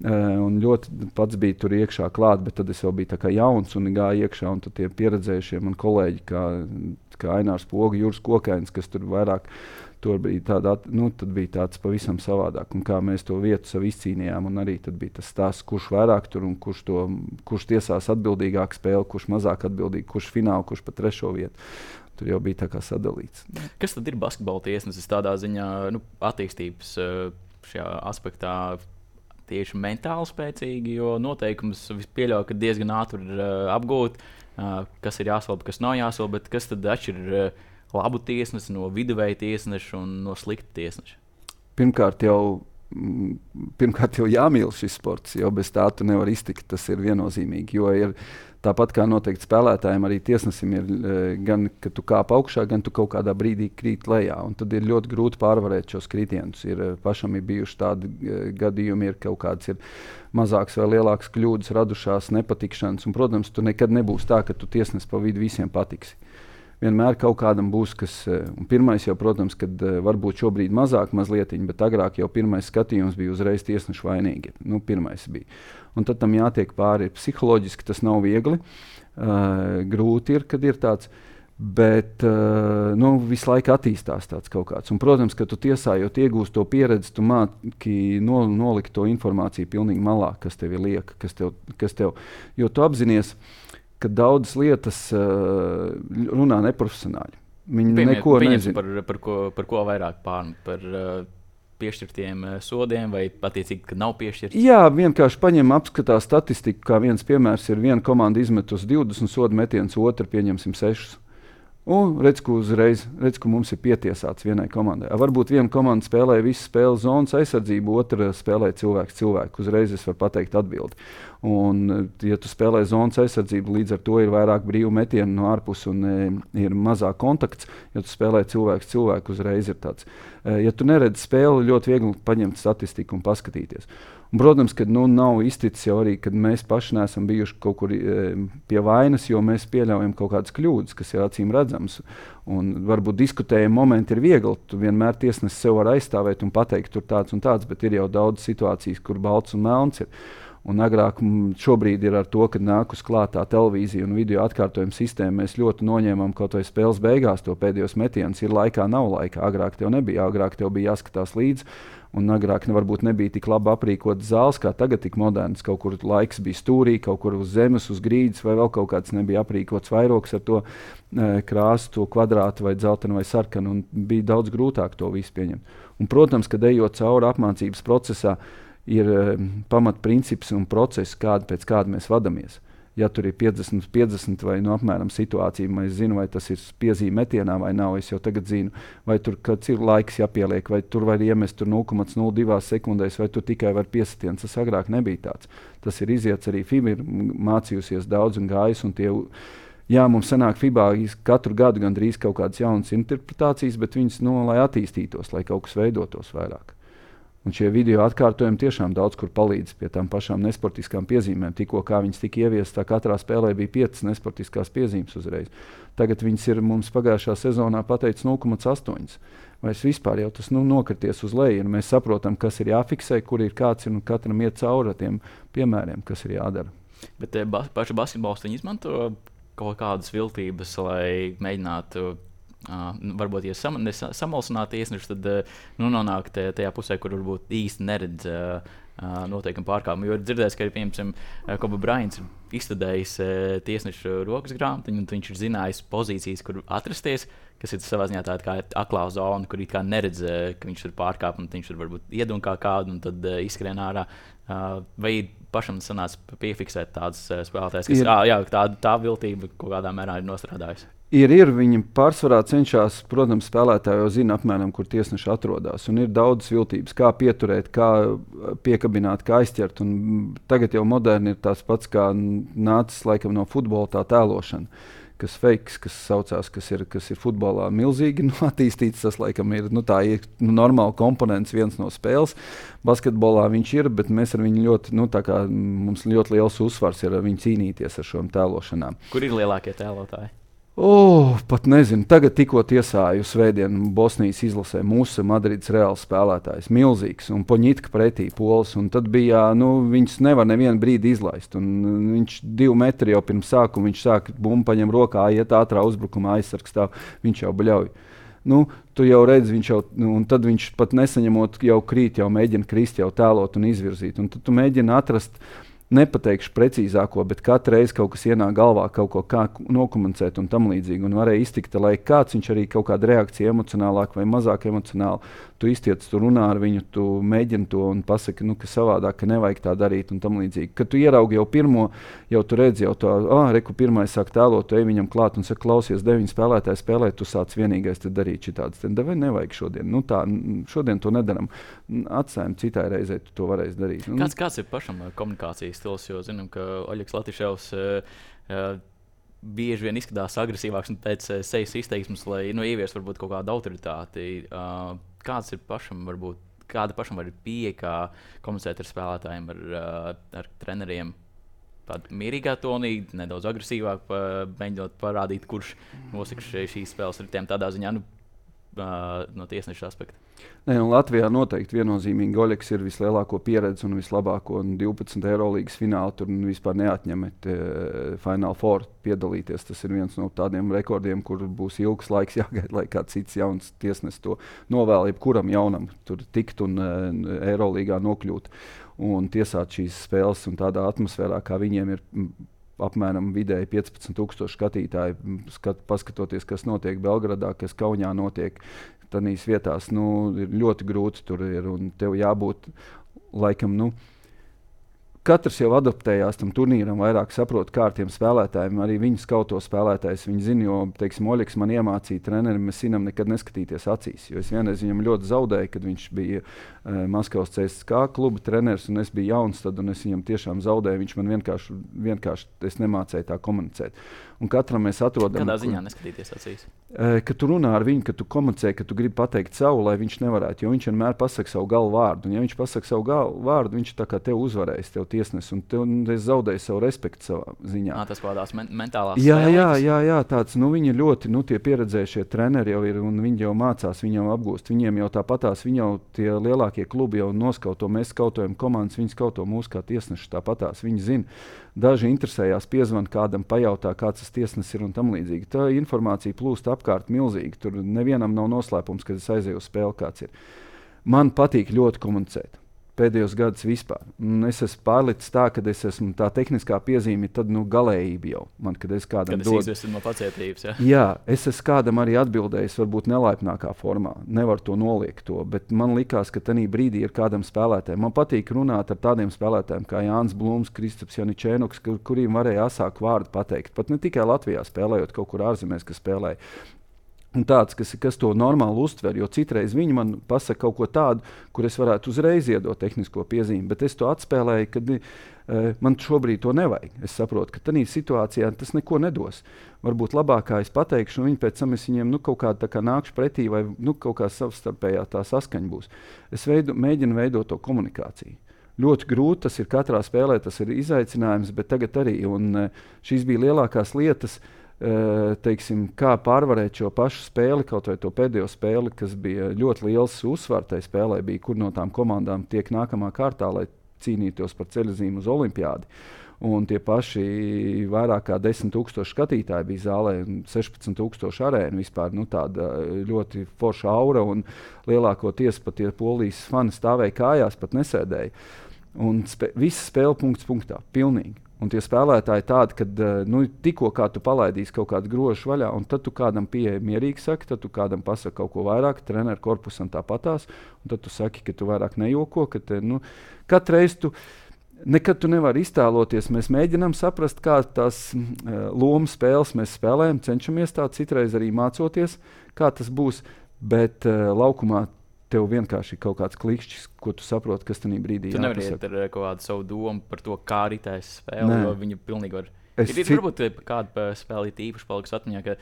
Un ļoti pats bija tur iekšā klāt, bet tad es vēl biju tā kā jauns un gāju iekšā, un tad tie pieredzējušie man kolēģi, kā, kā Ainārs Poga, Juris Kokainis, kas tur vairāk tur bija, tāda, nu, tad bija tāds pavisam savādāk, un kā mēs to vietu sev izcīnījām, un arī tad bija tas stāsts, kurš vairāk tur un kurš, to, kurš tiesās atbildīgāk spēli, kurš mazāk atbildīgi, kurš fināli, kurš pa trešo vietu. Tur jau bija tā kā sadalīts. Kas tad ir basketbola tiesnesis tādā ziņā, nu, attīstības šajā aspektā tieši mentāli spēcīgi, jo noteikums pieļauj, ka diezgan ātri ir uh, apgūt, uh, kas ir jāsvalda, kas nav jāsvalda, bet kas tad atšķir uh, labu tiesnesi no viduvēja tiesneša un no slikta tiesneša? Pirmkārt jau, pirmkārt jau jāmīl šis sports, jo bez tā tu nevar iztikt, tas ir viennozīmīgi, jo ir tāpat kā noteikti spēlētājiem, arī tiesnesim ir gan, ka tu kāp augšā, gan tu kaut kādā brīdī krīt lejā, un tad ir ļoti grūti pārvarēt šos kritienus. Ir, pašam ir bijuši tādi gadījumi, ir kaut kāds ir mazāks vai lielāks kļūdas radušās, nepatikšanas, un, protams, tu nekad nebūs tā, ka tu tiesnes pa vidu visiem patiksi. Vienmēr kaut kādam būs, kas, un pirmais jau, protams, kad varbūt šobrīd mazāk mazlietiņi, bet agrāk jau pirmais skatījums bija uzreiz tiesnešu vainīgi. Nu, pirmais bija. Un tad tam jātiek pāri. Psiholoģiski tas nav viegli, uh, grūti ir, kad ir tāds, bet uh, nu, visu laiku attīstās tāds kaut kāds. Un, protams, ka tu tiesājot iegūst to pieredzi, tu māki no, nolikt to informāciju pilnīgi malā, kas tev ir lieka, kas tev, kas tev, jo tu apzinies, ka daudzas lietas uh, runā neprofesionāļi. Viņi Piemēr, neko nezina. Par, par, ko, par ko vairāk pār, par uh, piešķirtiem uh, sodiem vai attiecīgi, ka nav piešķirti? Jā, vienkārši paņem apskatās statistiku, kā viens piemērs ir viena komanda izmet uz divdesmit sodu metienus, otra pieņemsim sešus. Un redz, ka uzreiz, redz, ka mums ir pietiesāts vienai komandai. A, varbūt viena komanda spēlē visu spēles zonas aizsardzību, otra spēlē cilvēks cilvēku. Uzreiz es varu pateikt atbildi. Un, ja tu spēlē zonas aizsardzību, līdz ar to ir vairāk brīvu metienu no ārpus un e, ir mazāk kontakts. Ja tu spēlē cilvēks cilvēku, uzreiz ir tāds. E, ja tu neredzi spēli, ļoti viegli paņemt statistiku un paskatīties. Un, protams, ka nu, nav izticis jau arī, kad mēs paši neesam bijuši kaut kur e, pie vainas, jo mēs pieļaujam kaut kādas kļūdas, kas ir acīm redzams. Un varbūt diskutējumi momenti ir viegli. Tu vienmēr tiesnesis sev var aizstāvēt un pateikt, tur tāds un tāds, bet ir jau daudz situācijas, kur balts un melns ir. Un agrāk šobrīd ir ar to, ka nāk uz klātā televīzija un video atkārtojuma sistēma. Mēs ļoti noņēmām kaut vai spēles beigās to pēdējos metienus. Ir laikā, nav laikā. Agrāk tev nebija. Agrāk tev bija jāskatās līdzi. Un agrāk varbūt nebija tik labi aprīkotas zāles, kā tagad tik modernas. Kaut kur laiks bija stūrī, kaut kur uz zemes, uz grīdas, vai vēl kaut kāds nebija aprīkots vairogs ar to e, krāsu, to kvadrātu vai dzeltenu vai sarkanu. Un bija daudz grūtāk to visu pieņemt. Un, protams, kad ejot cauri apmācības procesā, ir um, pamatprincips un process, kāda, pēc kāda mēs vadamies. Ja tur ir piecdesmit, piecdesmit vai no apmēram situācija, es zinu, vai tas ir piezīme metienā vai nav, es jau tagad zinu, vai tur kāds ir laiks jāpieliek, vai tur var iemest tur nulle komats nulle divi sekundēs, vai tur tikai var piesitiens. Tas agrāk nebija tāds. Tas ir iziets arī F I B A, ir mācījusies daudz un gājis, un tie, jā, mums sanāk F I B A katru gadu gandrīz kaut kādas jaunas interpretācijas, bet viņas, nu, lai attīstītos, lai kaut kas veidotos vairāk. Un šie video atkārtojumi tiešām daudz kur palīdz pie tām pašām nesportiskām piezīmēm. Tikko kā viņas tika ieviestas, tā katrā spēlē bija piecas nesportiskās piezīmes uzreiz. Tagad viņas ir mums pagājušā sezonā pateicis nulle komats astoņi. Vai vispār jau tas nu, nokrities uz leju. Mēs saprotam, kas ir jāfiksē, kur ir kāds ir un katram iet cauri ar tiem piemēriem, kas ir jādara. Bet ba paši basketbolisti izmanto kaut kādas viltības, lai mēģinātu uh, varbūt, ja sam, samalsināti tiesneši, tad uh, nu, nonāk tajā pusē, kur varbūt īsti neredz uh, uh, noteikumi pārkāpumu. Jo ir dzirdēts, ka, piemēram, uh, Kobe Bryants ir izstudējis uh, tiesnešu rokas grāmatu, un viņš ir zinājis pozīcijas, kur atrasties, kas ir savā ziņā tāda kā aklā zona, kur it kā neredz, uh, ka viņš ir pārkāpums, un viņš ir varbūt iedunkā kādu, un tad uh, izskrien ārā. Uh, vai pašam sanāca piefiksēt tādas uh, spēlētājas, kas ir, jā, tā, tā viltība kaut kādā mērā ir nostrādājusi? Ir, ir. Viņi pārsvarā cenšas, protams, spēlētāji jau zina apmēram, kur tiesneši atrodas. Un ir daudz viltības, kā pieturēt, kā piekabināt, kā aizķert. Un tagad jau moderni ir tas pats, kā nācis laikam no futbola tā tēlošana, kas fakes, kas saucās, kas ir, kas ir futbolā milzīgi nu, attīstīts. Tas laikam ir, nu, tā ir nu, normāla komponents viens no spēles. Basketbolā viņš ir, bet mēs ar viņu ļoti, nu, tā kā mums ļoti liels uzsvars ir ar viņu cīnīties ar šiem tēlošanām. Kur ir lielākie tēlotāji? Oh, pat nezinu. Tagad tikko tiesāju svētdienu Bosnijas izlasē mūsu Madrides Reāls spēlētājs. Milzīgs un Poņitka pretī pols. Un tad bija, nu, viņus nevar nevienu brīdi izlaist. Un viņš divi metri jau pirms sākuma, viņš sāk bumbu paņem rokā, iet ātrā uzbrukumā, aizsargs stāv, viņš jau bļauj. Nu, tu jau redzi, viņš jau, nu, un tad viņš pat nesaņemot jau krīt, jau mēģina krist, jau tēlot un izvirzīt. Un tad tu mēģini atrast, nepateikšu precīzāko, bet katru reizi kaut kas ienāk galvā, kaut ko kā nokomunicēt un tam līdzīgi. Un varēja iztikt, lai kāds viņš arī kaut kāda reakcija emocionālāk vai mazāk emocionāli. Tu iztiec, tu runā ar viņu, tu mēģini to un pasaki, nu, ka savādāk, ka nevajag tā darīt un tam līdzīgi. Kad tu ieraugi jau pirmo, jau tu redzi jau to, ah, reku pirmais sāk tēlot, tu ej viņam klāt un saka, klausies, deviņi spēlētāji spēlē, tu sāc vienīgais te darīt šitādas. Tad vai nevajag šodien? Nu tā, šodien to nedaram. Atstājam citai reizei, tu to varēsi darīt. Kāds, kāds ir pašam komunikācijas stils, jo zinām, ka Oļegs Latiševs uh, uh, bieži vien izskatās agresīvāks un pēc uh, sejas izteiksmes, lai nu, ievies varbūt kaut kādu autoritāti. Uh, kāds ir pašam, varbūt, kāda pašam var pieeja, kā komunicēt ar spēlētājiem, ar, uh, ar treneriem? Tāda mierīgā tonī, nedaudz agresīvāk, pa, mēģinot parādīt, kurš nosaka šīs spēles ar tiem tādā ziņā, nu, uh, no tiesneša aspekta. Nē, Latvijā noteikti viennozīmīgi Oļegs ir vislielāko pieredzi un vislabāko un divpadsmit Eirolīgas fināli tur vispār neatņemet e, Final Four piedalīties. Tas ir viens no tādiem rekordiem, kur būs ilgs laiks jāgaida, lai kāds cits jauns tiesnes to novēl jebkuram jaunam tur tikt un e, Eirolīgā nokļūt un tiesāt šīs spēles un tādā atmosfērā, kā viņiem ir apmēram vidēji piecpadsmit tūkstoši skatītāji, skat, paskatoties, kas notiek Belgradā, kas Kaunijā notiek. Tādīs vietās nu, ir ļoti grūti tur ir, un tev jābūt laikam, nu, katrs jau adaptējās tam turnīram, vairāk saprot, kā ar tiem spēlētājiem, arī viņi skauto spēlētājs, viņi zina, jo, teiksim, Oļegs man iemācīja treneri, mēs zinām nekad neskatīties acīs, jo es vienreiz viņam ļoti zaudēju, kad viņš bija uh, Maskavas C S K A kluba treneris, un es biju jauns tad, un es viņam tiešām zaudēju, viņš man vienkārši, vienkārši es nemācēju tā komunicēt. Un katram mēs atrodam... Kādā ziņā neskatīties acīs? Uh, ka tu runā ar viņu, ka tu komunicē, ka tu gribi pateikt savu, lai viņš nevarētu, jo viņš vienmēr pasaka savu galvu vārdu, un ja viņš pasaka savu galvu vārdu, viņš tā kā tev uzvarēs, tev tiesnes, un tev un es zaudēju savu respektu savā ziņā. À, tas kādās men mentālās jā, spēlītas? Jā, jā, jā, tāds, nu viņi ļoti, nu tie pieredzējušie treneri jau ir, un viņi jau mācās, viņi jau apgūst, viņiem jau tāpatās, viņi jau tie lielākie klubi jau noskauto, mēs skautojam komandas, viņi skauto mūs kā tiesneši tāpatās, viņi zina. Daži interesējās, piezvan kādam, pajautā, kāds tas tiesnes ir un tam līdzīgi. Tā informācija plūst apkārt milzīgi, tur nevienam nav noslēpums, kad es aizēju uz spēli, kāds ir. Man patīk ļoti komunicēt. Pēdējos gadus vispār. Un es esmu pārlicis tā, ka es esmu tā tehniskā piezīme, tad nu, galējība jau. Man, kad es kādam kad dodu. Kad es izvestu no pacietības, jā? Jā, es esmu kādam arī atbildējis, varbūt nelaipnākā formā. Nevar to noliekt to, bet man likās, ka tanī brīdī ir kādam spēlētājiem. Man patīk runāt ar tādiem spēlētājiem kā Jānis Blūms, Kristaps Janičēnoks, kur, kuriem varēja asāku vārdu pateikt. Pat ne tikai Latvijā spēlējot, kaut kur ārzemēs, kas spēlēja. Un tāds, kas, kas to normāli uztver, jo citreiz viņi man pasaka kaut ko tādu, kur es varētu uzreiz iedot tehnisko piezīmi, bet es to atspēlēju, kad e, man šobrīd to nevajag. Es saprotu, ka tādā situācijā tas neko nedos. Varbūt labākā es pateikšu, un viņi pēc tam es viņiem nu, kaut kā tā kā nākšu pretī, vai nu, kaut kā savstarpējā tā saskaņa būs. Es veidu, mēģinu veidot to komunikāciju. Ļoti grūti, tas ir katrā spēlē, tas ir izaicinājums, bet tagad arī, un šīs bija lielākās lietas, teiksim, kā pārvarēt šo pašu spēli, kaut vai to pēdējo spēli, kas bija ļoti liels uzsvars tai spēlē, bija, kur no tām komandām tiek nākamā kārtā, lai cīnītos par ceļazīmu uz olimpiādi. un tie paši vairāk kā desmit tūkstoši skatītāji bija zālē, un sešpadsmit tūkstoši arēna vispār, nu tāda ļoti forša aura, un lielākoties pat tie polijas fani stāvēja kājās, pat nesēdēja. Un spē, visa spēle punkts punktā, pilnīgi. Un tie spēlētāji tādi, ka nu, tikko kā tu palaidīsi kaut kādu grožu vaļā, un tad tu kādam pieeja mierīgi saki, tad tu kādam pasaki kaut ko vairāk, treneru korpusam tāpatās, un tad tu saki, ka tu vairāk nejoko, ka te, nu, katru reizi tu, nekad tu nevari iztēloties, mēs mēģinām saprast, kā tās uh, lomu spēles mēs spēlējam, cenšamies tā citreiz arī mācoties, kā tas būs, bet uh, laukumā tev vienkārši kaut kāds klikšķis, ko tu saproti, kas tajā brīdī ir. Tu nevari iet ar kaut kādu savu domu par to, kā ritēs spēle, jo viņi pilnīgi var. Es ir, ir cit... varbūt kāda spēle īpaši paliks atmiņā, ka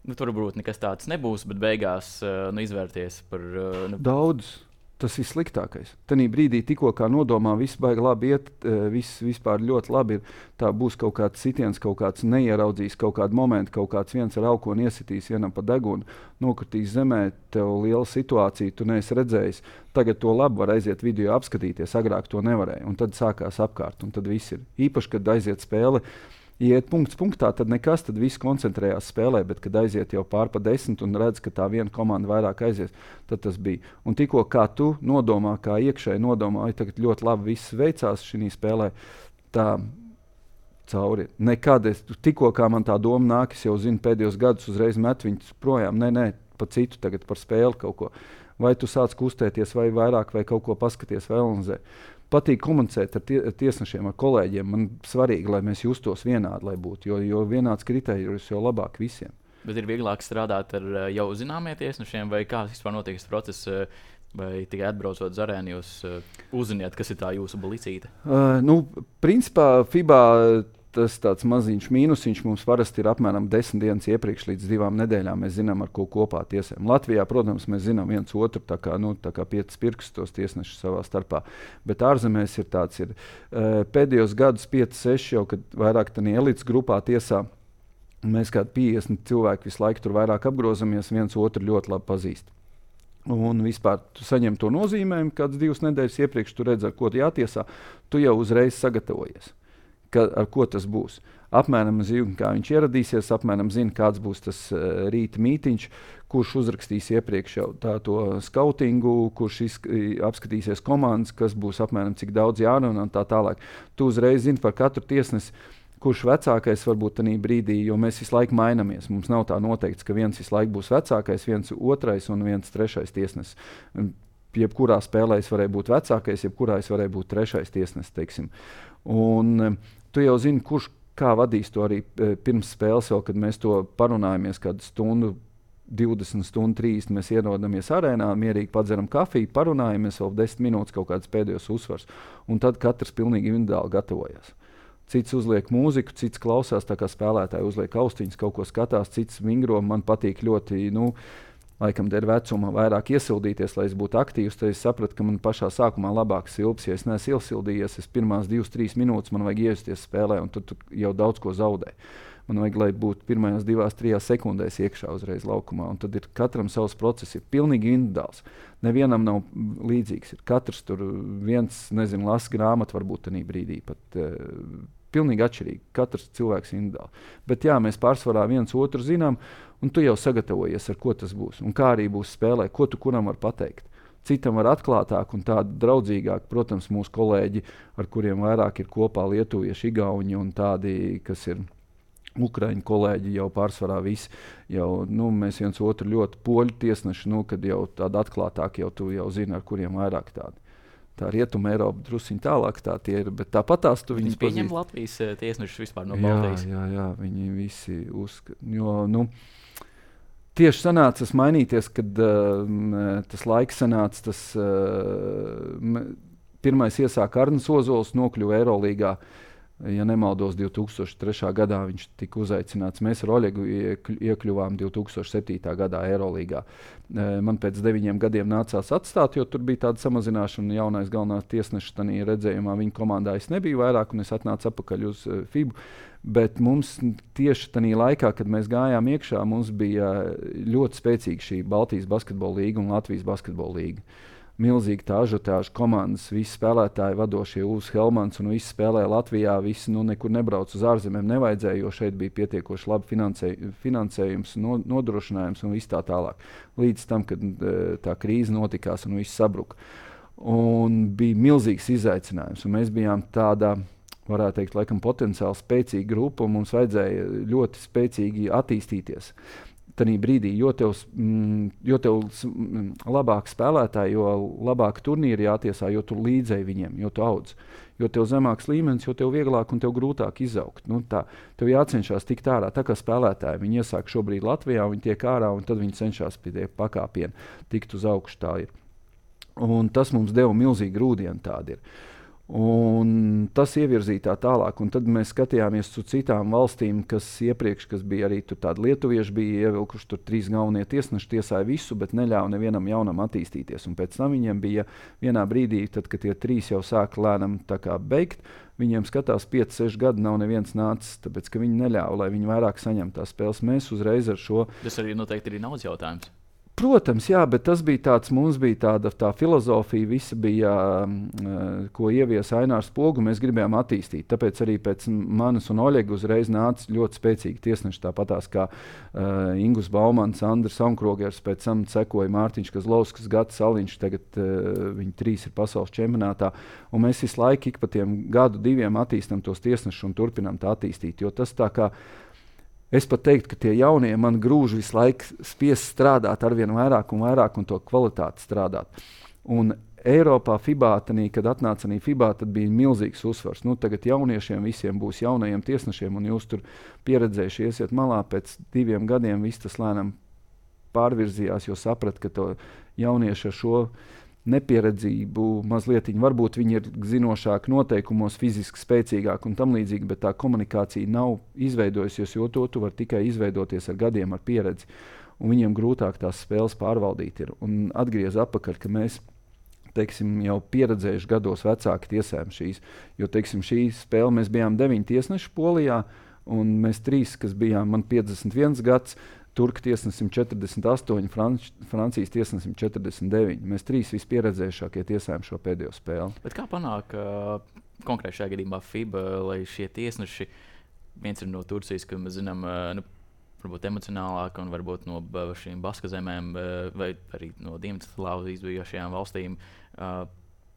nu, tur varbūt nekas tāds nebūs, bet beigās nu, izvērties par... Nu... Daudz. Tas ir sliktākais. Tanī brīdī tikko kā nodomā, viss baigi labi iet, viss vispār ļoti labi ir. Tā būs kaut kāds sitiens, kaut kāds neieraudzīs, kaut kādu momentu, kaut kāds viens ar aukoni iesitīs vienam pa degunu, nokritīs zemē, tev liela situācija, tu neesi redzējis. Tagad to labi var aiziet video apskatīties, agrāk to nevarēja. Un tad sākās apkārt, un tad viss ir. Īpaši, kad aiziet spēle, iet punkts punktā, tad nekas, tad viss koncentrējās spēlē, bet kad aiziet jau pār pa desmit un redz, ka tā viena komanda vairāk aizies, tad tas bija. Un tikko kā tu nodomā, kā iekšēji nodomā, ai tagad ļoti labi viss veicās šī spēlē, tā cauri. Nekad es, tikko kā man tā doma nāk, es jau zinu pēdējos gadus uzreiz met viņus projām, nē, nē, pa citu tagad par spēli kaut ko. Vai tu sāc kustēties, vai vairāk, vai kaut ko paskaties, vai analizē. Patīk komunicēt ar tie, tiesnešiem, ar kolēģiem. Man svarīgi, lai mēs justos vienādi, lai būtu, jo, jo vienāds kriterijus jau labāk visiem. Bet ir vieglāk strādāt ar jau zināmiem tiesnešiem, vai kā vispār notiek šis process, vai tikai atbraucot uz arēnu, jūs uzziniet, kas ir tā jūsu blicīte? Uh, nu, principā FIBA tas tāds maziņš mīnusiņš mums parasti ir apmēram desmit dienas iepriekš līdz divām nedēļām. Mēs zinām, ar ko kopā tiesām. Latvijā, protams, mēs zinām viens otru, tā kā, nu, tā kā piecas pirkstos tiesnešus savā starpā. Bet ārzemēs ir tāds, ir uh, pēdējos gadus pieci, seši jau, kad vairāk tādā elites grupā tiesā, mēs kādi piecdesmit cilvēki visu laiku tur vairāk apgrozamies, viens otru ļoti labi pazīst. Un vispār tu saņem to nozīmējumu, kāds divas nedēļas iepriekš tu redz, ar ko tu jātiesā, tu jau uzreiz sagatavojies. Ka, ar ko tas būs. Apmēram zinu, kā viņš ieradīsies, apmēram zinu, kāds būs tas uh, rīta mītiņš, kurš uzrakstīs iepriekš jau tā to skautingu, kurš izk- apskatīsies komandas, kas būs apmēram cik daudz jārunā un tā tālāk. Tu uzreiz zini par katru tiesnesi, kurš vecākais varbūt tajā brīdī, jo mēs visu laiku mainamies. Mums nav tā noteikts, ka viens visu laiku būs vecākais, viens otrais un viens trešais tiesnesis. Jebkurā spēlē es varēju būt vecākais, jebkurā es varēju būt trešais tiesnesis, teiksim. Un um, tu jau zini, kurš kā vadīs to arī e, pirms spēles, vēl, kad mēs to parunājamies kādu stundu, divdesmit stundu, trīsdesmit, mēs ierodamies arēnā, mierīgi padzeram kafiju, parunājamies vēl desmit minūtes kaut kādas pēdējos uzsvars. Un tad katrs pilnīgi individuāli gatavojas. Cits uzliek mūziku, cits klausās, tā kā spēlētāji uzliek austiņas, kaut ko skatās, cits vingro. Man patīk ļoti, nu, laikam dēļ vecuma vairāk iesildīties, lai es būtu aktīvs, tad es sapratu, ka man pašā sākumā labāk silps. Ja es neesmu iesildījies, es pirmās divas, trīs minūtes man vajag iejusties spēlē, un tad tu jau daudz ko zaudē. Man vajag, lai būtu pirmajās divās, trijās sekundēs iekšā uzreiz laukumā, un tad ir katram savs process, ir pilnīgi individuāls. Nevienam nav līdzīgs. Ir katrs tur viens, nezinu, lasa grāmatu varbūt tajā brīdī pat. Uh, Pilnīgi atšķirīgi. Katrs cilvēks ir individuāli. Bet jā, mēs pārsvarā viens otru zinām, un tu jau sagatavojies, ar ko tas būs. Un kā arī būs spēlē, ko tu kuram var pateikt. Citam var atklātāk un tādu draudzīgāk, protams, mūsu kolēģi, ar kuriem vairāk ir kopā lietuvieši, igauņi un tādi, kas ir ukraiņu kolēģi, jau pārsvarā visi. Jau, nu, mēs viens otru ļoti poļu tiesneši, nu, kad jau tādi atklātāk, jau tu jau zini, ar kuriem vairāk tādi. Tā Rietuma Eiropa drusciņ tālāk tā tie ir, bet tāpat tās tu viņus pazīst. Viņi pieņem Latvijas tiesnešus vispār no Baltijas. Jā, jā, jā, viņi visi uzskata. Jo, nu, tieši sanācas mainīties, kad uh, tas laiks sanāca, tas uh, pirmais iesāka Arnis Ozols, nokļuva Eirolīgā. Ja nemaldos, divi tūkstoši trešā gadā viņš tika uzaicināts. Mēs ar Oļegu iekļuvām divi tūkstoši septītā gadā Eirolīgā. Man pēc deviņiem gadiem nācās atstāt, jo tur bija tāda samazināšana. Jaunais galvenās tiesnešs tajā redzējumā viņa komandā es nebiju vairāk, un es atnācu atpakaļ uz FIBU. Bet mums tieši tajā laikā, kad mēs gājām iekšā, mums bija ļoti spēcīga šī Baltijas basketbola līga un Latvijas basketbola līga. milzīga tā ažiotāža komandas, visi spēlētāji, vadošie Ulfs Helmans un visi spēlēja Latvijā, visi nu, nekur nebrauc uz ārzemēm, nevajadzēja, jo šeit bija pietiekoši labi finansē, finansējums, no, nodrošinājums un viss tā tālāk. Līdz tam, kad tā krīze notikās un viss sabruka. Un bija milzīgs izaicinājums, un mēs bijām tādā, varētu teikt, laikam potenciāli spēcīga grupa, un mums vajadzēja ļoti spēcīgi attīstīties. Tanī brīdī, jo tev, mm, jo tev mm, labāk spēlētāji, jo labāk turnīri jātiesā, jo tu līdzēji viņiem, jo tu audz. Jo tev zemāks līmenis, jo tev vieglāk un tev grūtāk izaugt. Nu, tā, tev jācenšas tikt ārā. Tā kā spēlētāji, viņi iesāk šobrīd Latvijā, viņi tiek ārā, un tad viņi cenšas pie tie pakāpieni tikt uz augšu, tā ir. Un tas mums deva milzīgi grūdienu, tādi ir. Un tas ievirzīja tā tālāk, un tad mēs skatījāmies uz citām valstīm, kas iepriekš, kas bija arī tur tādi lietuvieši, bija ievilkuši tur trīs galvenie tiesneši, tiesāja visu, bet neļāva nevienam jaunam attīstīties. Un pēc tam viņiem bija vienā brīdī, tad, kad tie trīs jau sāka lēnam tā kā beigt, viņiem skatās pieci, seši gadi nav neviens nācis, tāpēc, ka viņi neļāva, lai viņi vairāk saņem tās spēles. Mēs uzreiz ar šo... Tas arī noteikti ir naudas jautājums. Protams, jā, bet tas bija tāds, mums bija tāda tā filozofija, visa bija, uh, ko ieviesa Ainārs Pogu, mēs gribējām attīstīt. Tāpēc arī pēc manis un Oļega uzreiz nāca ļoti spēcīgi tiesneši, tāpatās kā uh, Ingus Baumans, Andris Aunkrogers, pēc tam sekoja Mārtiņš Kazlovskis, Gatis Saliņš, tagad uh, viņi trīs ir pasaules čempionātā, un mēs visu laiku ik pa tiem gadu diviem attīstam tos tiesnešus un turpinām tā attīstīt, jo tas tā kā es pat teiktu, ka tie jaunie man grūž visu laiku spiest strādāt arvien vairāk un vairāk un to kvalitāti strādāt. Un Eiropā, FIBA, tanī, kad atnāca arī FIBA, tad bija milzīgs uzsvars. Nu, tagad jauniešiem visiem būs jaunajiem tiesnešiem, un jūs tur pieredzējuši iesiet malā, pēc diviem gadiem viss tas lēnām pārvirzījās, jo saprat, ka to jaunieši ar šo nepieredzību mazliet, varbūt viņi ir zinošāki noteikumos, fiziski spēcīgāki un tam līdzīgi, bet tā komunikācija nav izveidojusies, jo to tu var tikai izveidoties ar gadiem, ar pieredzi. Un viņiem grūtāk tās spēles pārvaldīt ir. Un atgriez apakaļ, ka mēs, teiksim, jau pieredzējuši gados vecāki tiesējam šīs, jo, teiksim, šī spēle mēs bijām deviņi tiesneši Polijā, un mēs trīs, kas bijām, man piecdesmit viens gads, Turku tiesnesim četrdesmit astoņi, Franč, Francijas tiesnesim četrdesmit deviņi. Mēs trīs vispieredzējušākie tiesājam šo pēdējo spēli. Bet kā panāk uh, konkrēti šajā gadījumā FIBA, lai šie tiesneši, viens ir no Turcijas, ka mēs zinām, uh, nu, varbūt emocionālāk un varbūt no uh, šīm Baska zemēm uh, vai arī no Dienvidslāvijas bijušajām valstīm, uh,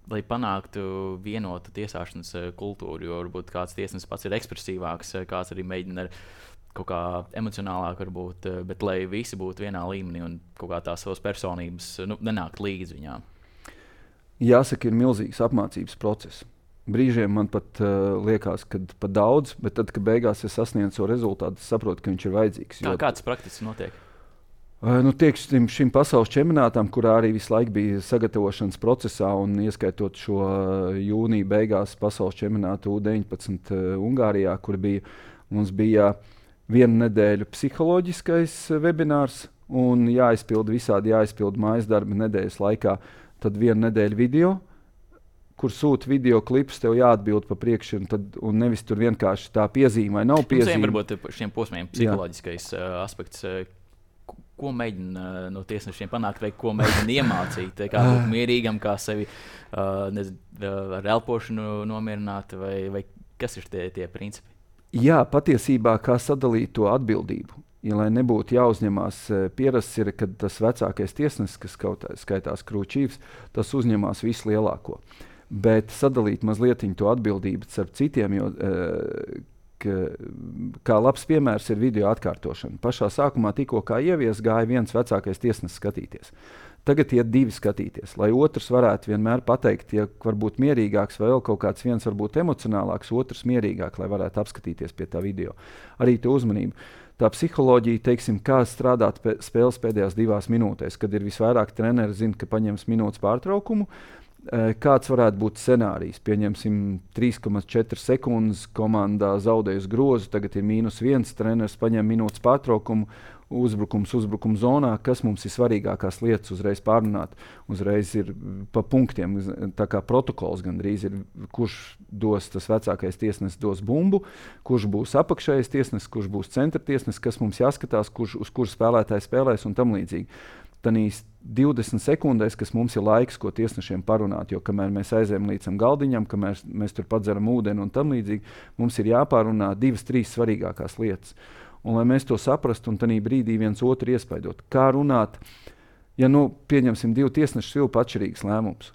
lai panāktu vienotu tiesāšanas uh, kultūru, jo varbūt kāds tiesnesis pats ir ekspresīvāks, uh, kāds arī mēģina ar kaut kā emocionālāk varbūt, bet lai visi būtu vienā līmenī un kaut kā tās savas personības nu, nenākt līdz viņām. Jāsaka, ir milzīgs apmācības process. Brīžiem man pat uh, liekas, ka pat daudz, bet tad, kad beigās es sasniedzu šo rezultātu, es saprotu, ka viņš ir vajadzīgs. Kā, jo... Kāds praktiski notiek? Uh, nu, tieksim, šim pasaules čempionātam, kurā arī visu laiku bija sagatavošanas procesā un ieskaitot šo uh, jūnija beigās pasaules čempionātu U deviņpadsmit uh, Ungārijā, kur bija, mums bija vienu nedēļu psiholoģiskais webinārs un jāizpilda visādi jāizpilda mājas darbi nedēļas laikā. Tad vienu nedēļu video, kur sūta video klipus, tev jāatbild pa priekšu, un, tad, un nevis tur vienkārši tā piezīme vai nav piezīme. Mums varbūt šiem posmiem psiholoģiskais uh, aspekts, uh, ko mēģina uh, no tiesnešiem panākt, vai ko mēģina iemācīt, kā būt mierīgam, kā sevi uh, nezinu, uh, ar elpošanu nomierināt, vai, vai kas ir tie, tie principi? Jā, patiesībā kā sadalīt to atbildību. Ja, lai nebūtu jāuzņemās, pierasts ir, kad tas vecākais tiesnesis, kas kaut skaitās krūčīvs, tas uzņemās visu lielāko. Bet sadalīt mazliet to atbildību starp citiem, jo ka, kā labs piemērs ir video atkārtošana. Pašā sākumā tikko kā ievies gāja viens vecākais tiesnesis skatīties. Tagad iet divi skatīties, lai otrs varētu vienmēr pateikt, ja varbūt mierīgāks vai vēl kaut kāds viens varbūt emocionālāks, otrs mierīgāk, lai varētu apskatīties pie tā video. Arī to uzmanību. Tā psiholoģija, teiksim, kā strādāt pē, spēles pēdējās divās minūtēs, kad ir visvairāk treneri zina, ka paņems minūtes pārtraukumu, kāds varētu būt scenārijs. Pieņemsim trīs komats četri sekundes, komandā zaudējusi grozu, tagad ir mīnus viens, treneris paņem minūtes pārtraukumu, uzbrukums, uzbrukums zonā, kas mums ir svarīgākās lietas uzreiz pārrunāt. Uzreiz ir pa punktiem, tā kā protokols gandrīz ir, kurš dos tas vecākais tiesnesis dos bumbu, kurš būs apakšējais tiesnesis, kurš būs centra tiesnesis, kas mums jāskatās, kurš, uz kuru spēlētāji spēlēs un tam līdzīgi. tanīs divdesmit sekundēs, kas mums ir laiks, ko tiesnešiem parunāt, jo kamēr mēs aizējam līdz galdiņam, kamēr mēs tur padzeram ūdeni un tam līdzīgi, mums ir jāpārunā divas, trīs svarīgākās lietas. Un lai mēs to saprastu un tanī brīdī viens otru iespaidot. Kā runāt, ja nu pieņemsim divu tiesnešu svilpu atšķirīgs lēmums.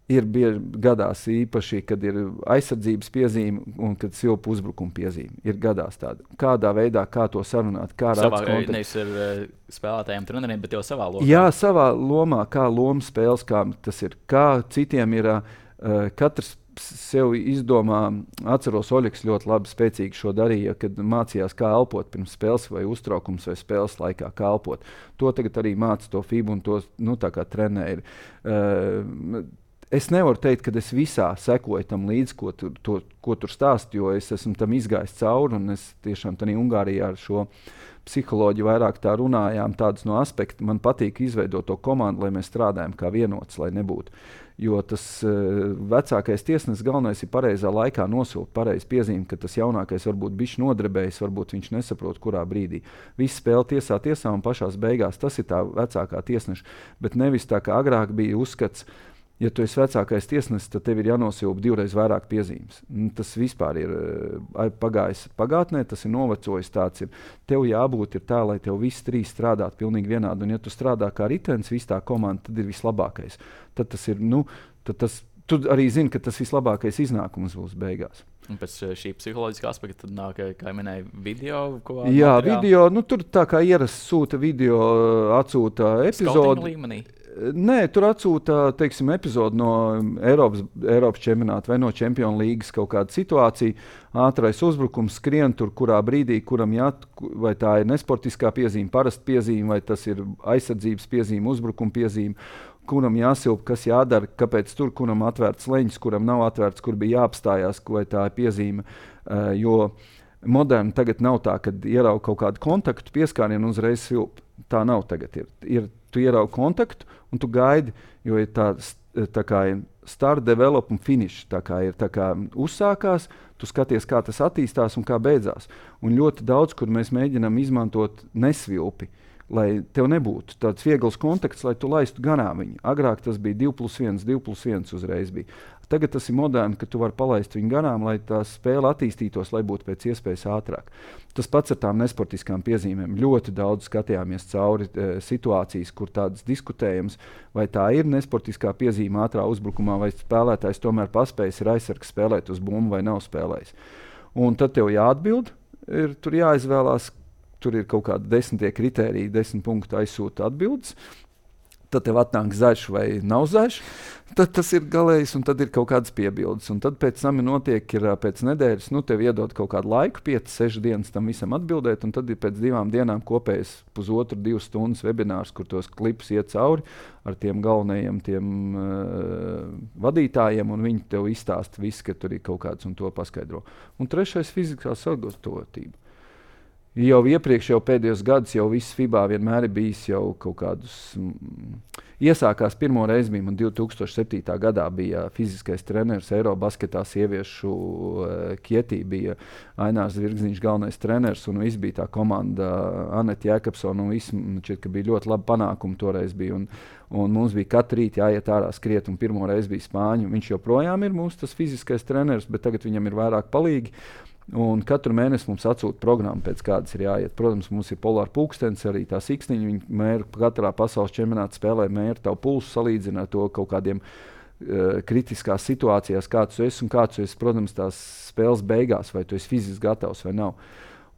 Ir bieži gadās īpaši, kad ir aizsardzības piezīme un kad silpa uzbrukuma piezīme. Ir gadās tāda. Kādā veidā, kā to sarunāt, kā savā, nevis ar uh, spēlētājiem, treneriem, bet jau savā lomā. Jā, savā lomā, kā loma spēles, kā tas ir. Kā citiem ir, uh, katrs sev izdomā, atceros, Oļegs ļoti labi spēcīgi šo darīja, kad mācījās, kā elpot pirms spēles vai uztraukums vai spēles laikā, kā elpot. To tagad arī māca to FIBA un to, nu, tā kā trenēri. Uh, Es nevaru teikt, ka es visā sekoju tam līdzi, ko tur, to, ko tur stāst, jo es esmu tam izgājis cauri, un es tiešām tādā Ungārijā ar šo psiholoģiju vairāk tā runājām, tādus no aspektu. Man patīk izveidot to komandu, lai mēs strādājam kā vienots, lai nebūtu. Jo tas uh, vecākais tiesnesis galvenais ir pareizā laikā nosūkt, pareizi piezīme, ka tas jaunākais varbūt bišķi nodrebējis, varbūt viņš nesaprot, kurā brīdī. Viss spēle tiesā tiesā un pašās beigās tas ir tā vecākā tiesneša, bet nevis tā kā agrāk bija uzskats. Ja tu esi vecākais tiesnesis, tad tev ir jānosilpa divreiz vairāk piezīmes. Tas vispār ir uh, pagājis pagātnē, tas ir novecojis. Tāds ir. Tev jābūt ir tā, lai tev visi trīs strādātu pilnīgi vienādi. Un ja tu strādā kā ritenis, viss tā komanda, tad ir vislabākais. Tad tas ir, nu, tad tas, tu arī zini, ka tas vislabākais iznākums būs beigās. Un pēc šī psiholoģiskā aspekta tad nāk, kā minēja, video. Jā, materiāli. Video, nu tur tā kā ierasts sūta video, atsūta epizodi. Nē, tur atsūta, teiksim, epizodi no Eiropas, Eiropas čempionāta vai no Čempionu līgas kaut kāda situācija. Ātrais uzbrukums skrien tur, kurā brīdī, kuram jāt, vai tā ir nesportiskā piezīme, parasta piezīme, vai tas ir aizsardzības piezīme, uzbrukuma piezīme, kuram jāsilpa, kas jādara, kāpēc tur, kuram atvērts leņķis, kuram nav atvērts, kur bija jāapstājās, vai tā ir piezīme. Uh, jo moderni tagad nav tā, kad ierauga kaut kādu kontaktu pieskārienu un uzreiz silpa. Tā nav tagad. Ir, ir, tu ieraugi kontaktu un tu gaidi, jo ir tā, tā kā ir start, develop un finish. Tā kā ir tā kā uzsākās, tu skaties, kā tas attīstās un kā beidzās. Un ļoti daudz, kur mēs mēģinām izmantot nesvilpi, lai tev nebūtu tāds viegls kontakts, lai tu laistu garām viņu. Agrāk tas bija divi plus viens, divi plus viens uzreiz bija. Tagad tas ir moderni, ka tu vari palaist viņu garām, lai tā spēle attīstītos, lai būtu pēc iespējas ātrāk. Tas pats ar tām nesportiskām piezīmēm. Ļoti daudz skatījāmies cauri e, situācijas, kur tādas diskutējams, vai tā ir nesportiskā piezīme ātrā uzbrukumā, vai spēlētājs tomēr paspējis ir aizsargs spēlēt uz bumbu vai nav spēlējis. Un tad tev jāatbild, ir, tur jāizvēlās, tur ir kaut kādi desmitie kritēriji, desmit punktu aizsūta atbildes. Tad tev atnāk zaļš vai nav zaļš, tad tas ir galējs un tad ir kaut kādas piebildes. Un tad pēc tam notiek, ir pēc nedēļas, nu tev iedod kaut kādu laiku, piecas, sešas dienas tam visam atbildēt, un tad ir pēc divām dienām kopējs pusotru, divas stundas webinārs, kur tos klipus iet cauri ar tiem galvenajiem tiem uh, vadītājiem, un viņi tev izstāsta visu, ka tur ir kaut kāds un to paskaidro. Un trešais fiziskā sagatavotība. Jau iepriekš, jau pēdējos gadus, jau viss FIBA vienmēr ir bijis jau kaut kādus. Mm, iesākās pirmo reizi bija man divi tūkstoši septītā gadā bija fiziskais treneris Eirobasketā sieviešu uh, Kietī bija Ainārs Zvirgziņš galvenais treneris un viss bija tā komanda Anete Jēkabsona un viss, šķiet, ka bija ļoti labi panākumi toreiz bija un, un mums bija katru rīt jāiet ārā skriet un pirmo reizi bija Spāņu. Viņš joprojām ir mūsu tas fiziskais treneris, bet tagad viņam ir vairāk palīgi. Un katru mēnesi mums atsūta programma, pēc kādas ir jāiet. Protams, mums ir polāra pulkstenis, arī tā siksniņa. Viņi mēra katrā pasaules čempionāta spēlē, mēra tavu pulsu, salīdzina to kaut kādiem uh, kritiskās situācijās, kāds tu esi un kāds tu esi, protams, tās spēles beigās, vai tu esi fiziski gatavs vai nav.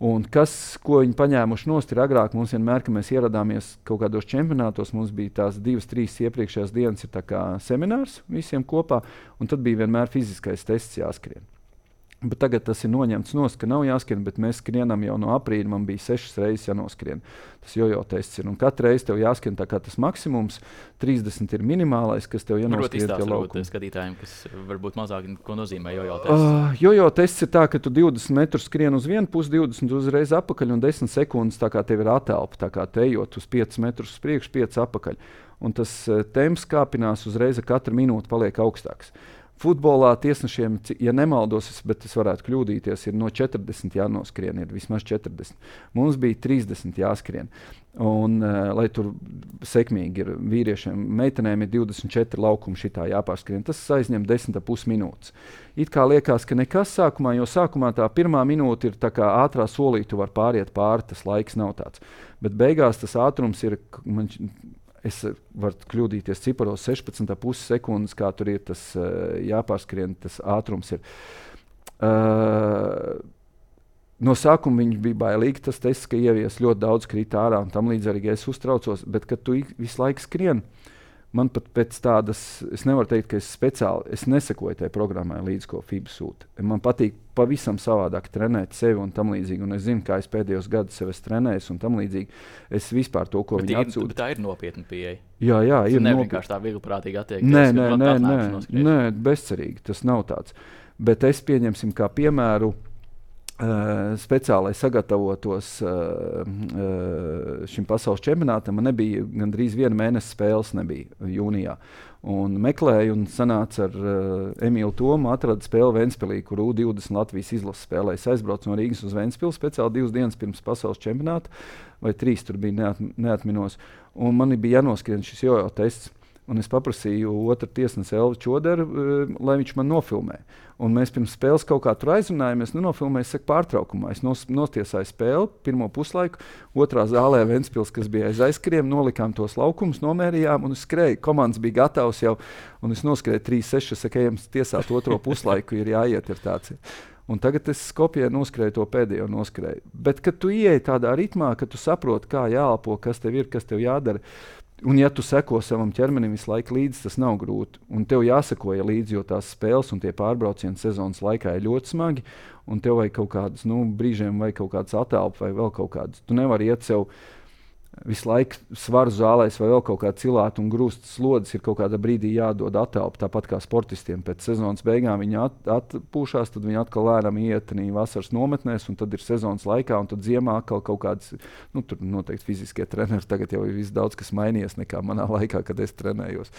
Un kas, ko viņi paņēmuši nost, ir agrāk mums vienmēr, ka mēs ieradāmies kaut kādos čempionātos, mums bija tās divas, trīs iepriekšējās dienas ir tā kā seminārs visiem kopā, un tad bija vienmēr fiziskais tests jāskrien. Bet tagad tas ir noņemts nost, ka nav jāskrien, bet mēs skrienam jau no aprīļa, man bija sešas reizes jānoskrien. Tas jojo tests ir, un katru reizi tev jāskrien tā kā tas maksimums, trīsdesmit ir minimālais, kas tev jānoskrien tie laukumi. Varbūt izstāst skatītājiem, kas varbūt mazāk, ko nozīmē jojo tests? Uh, jojo tests ir tā, ka tu divdesmit metrus skrien uz vienu pusi, divdesmit uzreiz apakaļ un desmit sekundes tā kā tev ir atelpa, tā kā te ejot uz piecus metrus uz priekšu, piecus apakaļ. Un tas uh, temps kāpinās uzreiz ar katru minūti paliek augstāks. Futbolā tiesnešiem, ja nemaldos, bet es varētu kļūdīties, ir no četrdesmit jānoskrien, ir vismaz četrdesmit. Mums bija trīsdesmit jāskrien. Un, uh, lai tur sekmīgi ir vīriešiem, meitenēm ir divdesmit četri laukumi šitā jāpārskrien. Tas aizņem desmit ar pus minūtes. It kā liekas, ka nekas sākumā, jo sākumā tā pirmā minūte ir tā kā ātrā solī, tu var pāriet pāri, tas laiks nav tāds. Bet beigās tas ātrums ir, man, es varu kļūdīties ciparos sešpadsmit ar pus sekundes, kā tur ir tas uh, jāpārskrien, tas ātrums ir. Uh, no sākuma viņi bija bailīgi, tas tests, ka ievies ļoti daudz krīt ārā un tam līdz arī es uztraucos, bet kad tu visu laiku skrien, man pat pēc tādas, es nevaru teikt, ka es speciāli, es nesekoju tai programmai līdz, ko FIBA sūta. Man patīk pavisam savādāk trenēt sevi un tam līdzīgi, un es zinu, kā es pēdējos gadus sev es trenējos un tam līdzīgi. Es vispār to, ko bet viņi ir, atsūta. Bet tā ir nopietna pieeja. Jā, jā, ir nopietna. Vienkārši tā vieglprātīgi attiekties. Nē, nē, nē, nē, nē, bezcerīgi, tas nav tāds. Bet es pieņemsim kā piemēru, Uh, speciāli sagatavotos uh, uh, šim pasaules čempionātam, man nebija gandrīz viena mēnesa spēles nebija jūnijā. Un meklēju un sanāca ar uh, Emīlu Tomu, atrada spēli Ventspilī, kur U divdesmit Latvijas izlases spēlēja. Es aizbraucu no Rīgas uz Ventspili speciāli divas dienas pirms pasaules čempionāta, vai trīs tur bija neat, neatminos. Un man bija jānoskrien šis jojo tests. Un es paprasīju otru tiesnesi Elvi Čoderu, uh, lai viņš man nofilmē. Un mēs pirms spēles kaut kā tur aizrunājāmies, nu nofilmēju, es saku pārtraukumā. Es nos, notiesāju spēli, pirmo puslaiku, otrā zālē Ventspils, kas bija aiz aizskriem, nolikām tos laukumus, nomērījām un es skrēju. Komandas bija gatavs jau, un es noskrēju trīs seši, saku, ejam tiesāt otro puslaiku, ir jāiet, ir tāds. Un tagad es Skopjē noskrēju to pēdējo noskrēju. Bet, kad tu ieej tādā ritmā, kad tu saproti, kā jāelpo, kas tev ir, kas tev jādara, un ja tu seko savam ķermenim visu laiku līdzi, tas nav grūti. Un tev jāsekoja līdzi, jo tās spēles un tie pārbraucieni sezonas laikā ir ļoti smagi. Un tev vajag kaut kādas, nu, brīžiem vai kaut kādas atelpas vai vēl kaut kādas. Tu nevari iet sev visu laiku svaru zālēs vai vēl kaut kā cilāt un grūst slodzes, ir kaut kādā brīdī jādod atelpa. Tāpat kā sportistiem pēc sezonas beigām viņi at, atpūšās, tad viņi atkal lēnām iet vasaras nometnēs, un tad ir sezonas laikā, un tad ziemā atkal kaut kādas, nu, tur noteikti fiziskie treneri, tagad jau ir viss daudz, kas mainījies nekā manā laikā, kad es trenējos.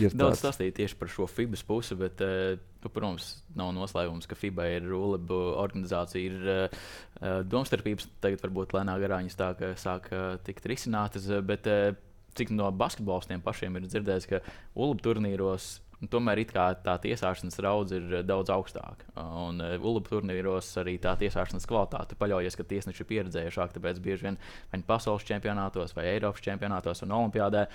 Ir daudz stāstīt tieši par šo FIBAS pusi, bet, uh, nu, protams, nav noslēpums, ka FIBA ir ULEB organizācija, ir uh, domstarpības, tagad varbūt lēnā garā viņas tā, ka sāk uh, tikt risinātas, bet uh, cik no basketbolistiem pašiem ir dzirdēts, ka ULEB turnīros tomēr it kā tā tiesāšanas raudze ir daudz augstāka. Un uh, ULEB turnīros arī tā tiesāšanas kvalitāte paļaujas, ka tiesneši ir pieredzējušāki, tāpēc bieži vien vai pasaules čempionātos vai Eiropas čempionātos un olimpiādē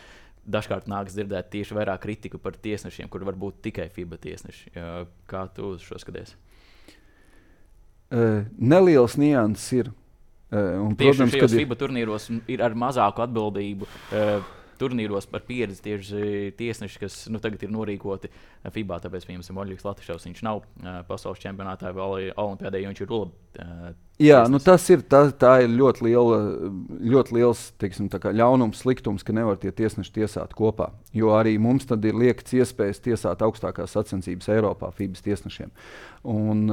dažkārt nāks dzirdēt tieši vairāk kritiku par tiesnešiem, kur var būt tikai FIBA tiesneši. Kā tu uz šo skaties? Uh, neliels nianses ir. Uh, un, tieši protams, šajos ir... FIBA turnīros ir ar mazāku atbildību. Uh, Turnīros par pieredzi tieši tiesneši, kas nu, tagad ir norīkoti FIBA, tāpēc piemēram Oļģis Latišovs, viņš nav uh, pasaules čempionātā vai olimpiādē, jo viņš ir ULEB. Uh, Jā, nu tas ir, tā, tā ir ļoti, liela, ļoti liels, teiksim, tā kā ļaunums, sliktums, ka nevar tie tiesneši tiesāt kopā. Jo arī mums tad ir liekts iespējas tiesāt augstākās sacensības Eiropā FIBAS tiesnešiem. Un,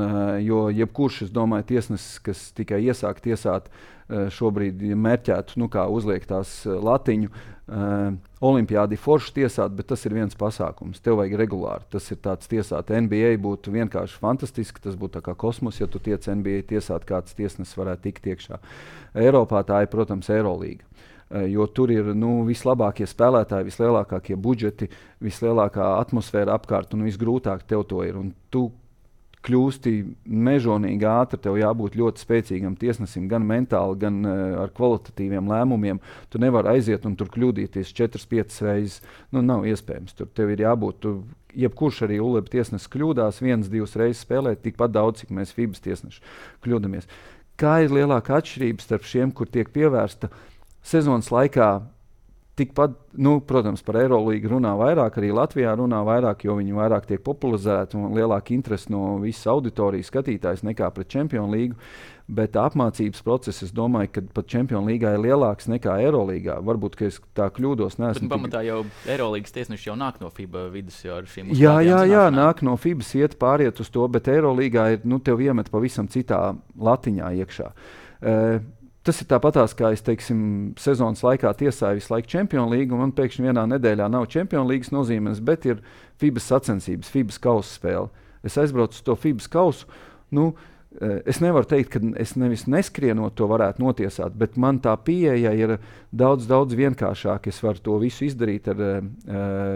jo jebkurš, es domāju, tiesnesis, kas tikai iesāk tiesāt, šobrīd mērķētu, nu kā uzliek tās latiņu, Uh, Olimpiādi forši tiesāt, bet tas ir viens pasākums. Tev vajag regulāri. Tas ir tāds tiesāt. N B A būtu vienkārši fantastiski. Tas būtu tā kā kosmos, ja tu tiec N B A tiesāt, kāds tiesnesis varētu tikt iekšā. Eiropā tā ir, protams, Eirolīga. Uh, jo tur ir nu, vislabākie spēlētāji, vislielākie budžeti, vislielākā atmosfēra apkārt un visgrūtāk tev to ir. Un tu kļūsti mežonīgi ātri, tev jābūt ļoti spēcīgam tiesnesim, gan mentāli, gan uh, ar kvalitatīviem lēmumiem. Tu nevari aiziet un tur kļūdīties četras, piecas reizes. Nu, nav iespējams. Tur tev ir jābūt, tu, jebkurš arī ULEB tiesnesis kļūdās, viens, divas reizes spēlēt tikpat daudz, cik mēs FIBAS tiesneši kļūdamies. Kā ir lielāka atšķirība starp šiem, kur tiek pievērsta sezonas laikā? Tikpat, nu, protams, par Eirolīgu runā vairāk, arī Latvijā runā vairāk, jo viņi vairāk tiek popularizēti un lielāka interese no visas auditorijas skatītājs nekā pret Čempionu līgu. Bet apmācības process, es domāju, ka pat Čempionu līgā ir lielāks nekā Eirolīgā. Varbūt, ka es tā kļūdos. Neesmu bet pamatā jau Eirolīgas tiesneši jau nāk no FIBA vidus jau ar šīm jā, jā, jā, nāk no FIBAS, iet pāriet uz to, bet Eirolīgā ir, nu, tev iemet pavisam citā latiņā iekšā. Uh, Tas ir tāpatās, kā es teiksim, sezonas laikā tiesāju visu laiku Champions League, un man pēkšņi vienā nedēļā nav Champions League nozīmes, bet ir FIBA sacensības, FIBA kausa spēle. Es aizbraucu uz to FIBA kausu. Nu, es nevaru teikt, ka es nevis neskrienot to varētu notiesāt, bet man tā pieeja ir daudz, daudz vienkāršāk. Es varu to visu izdarīt ar uh,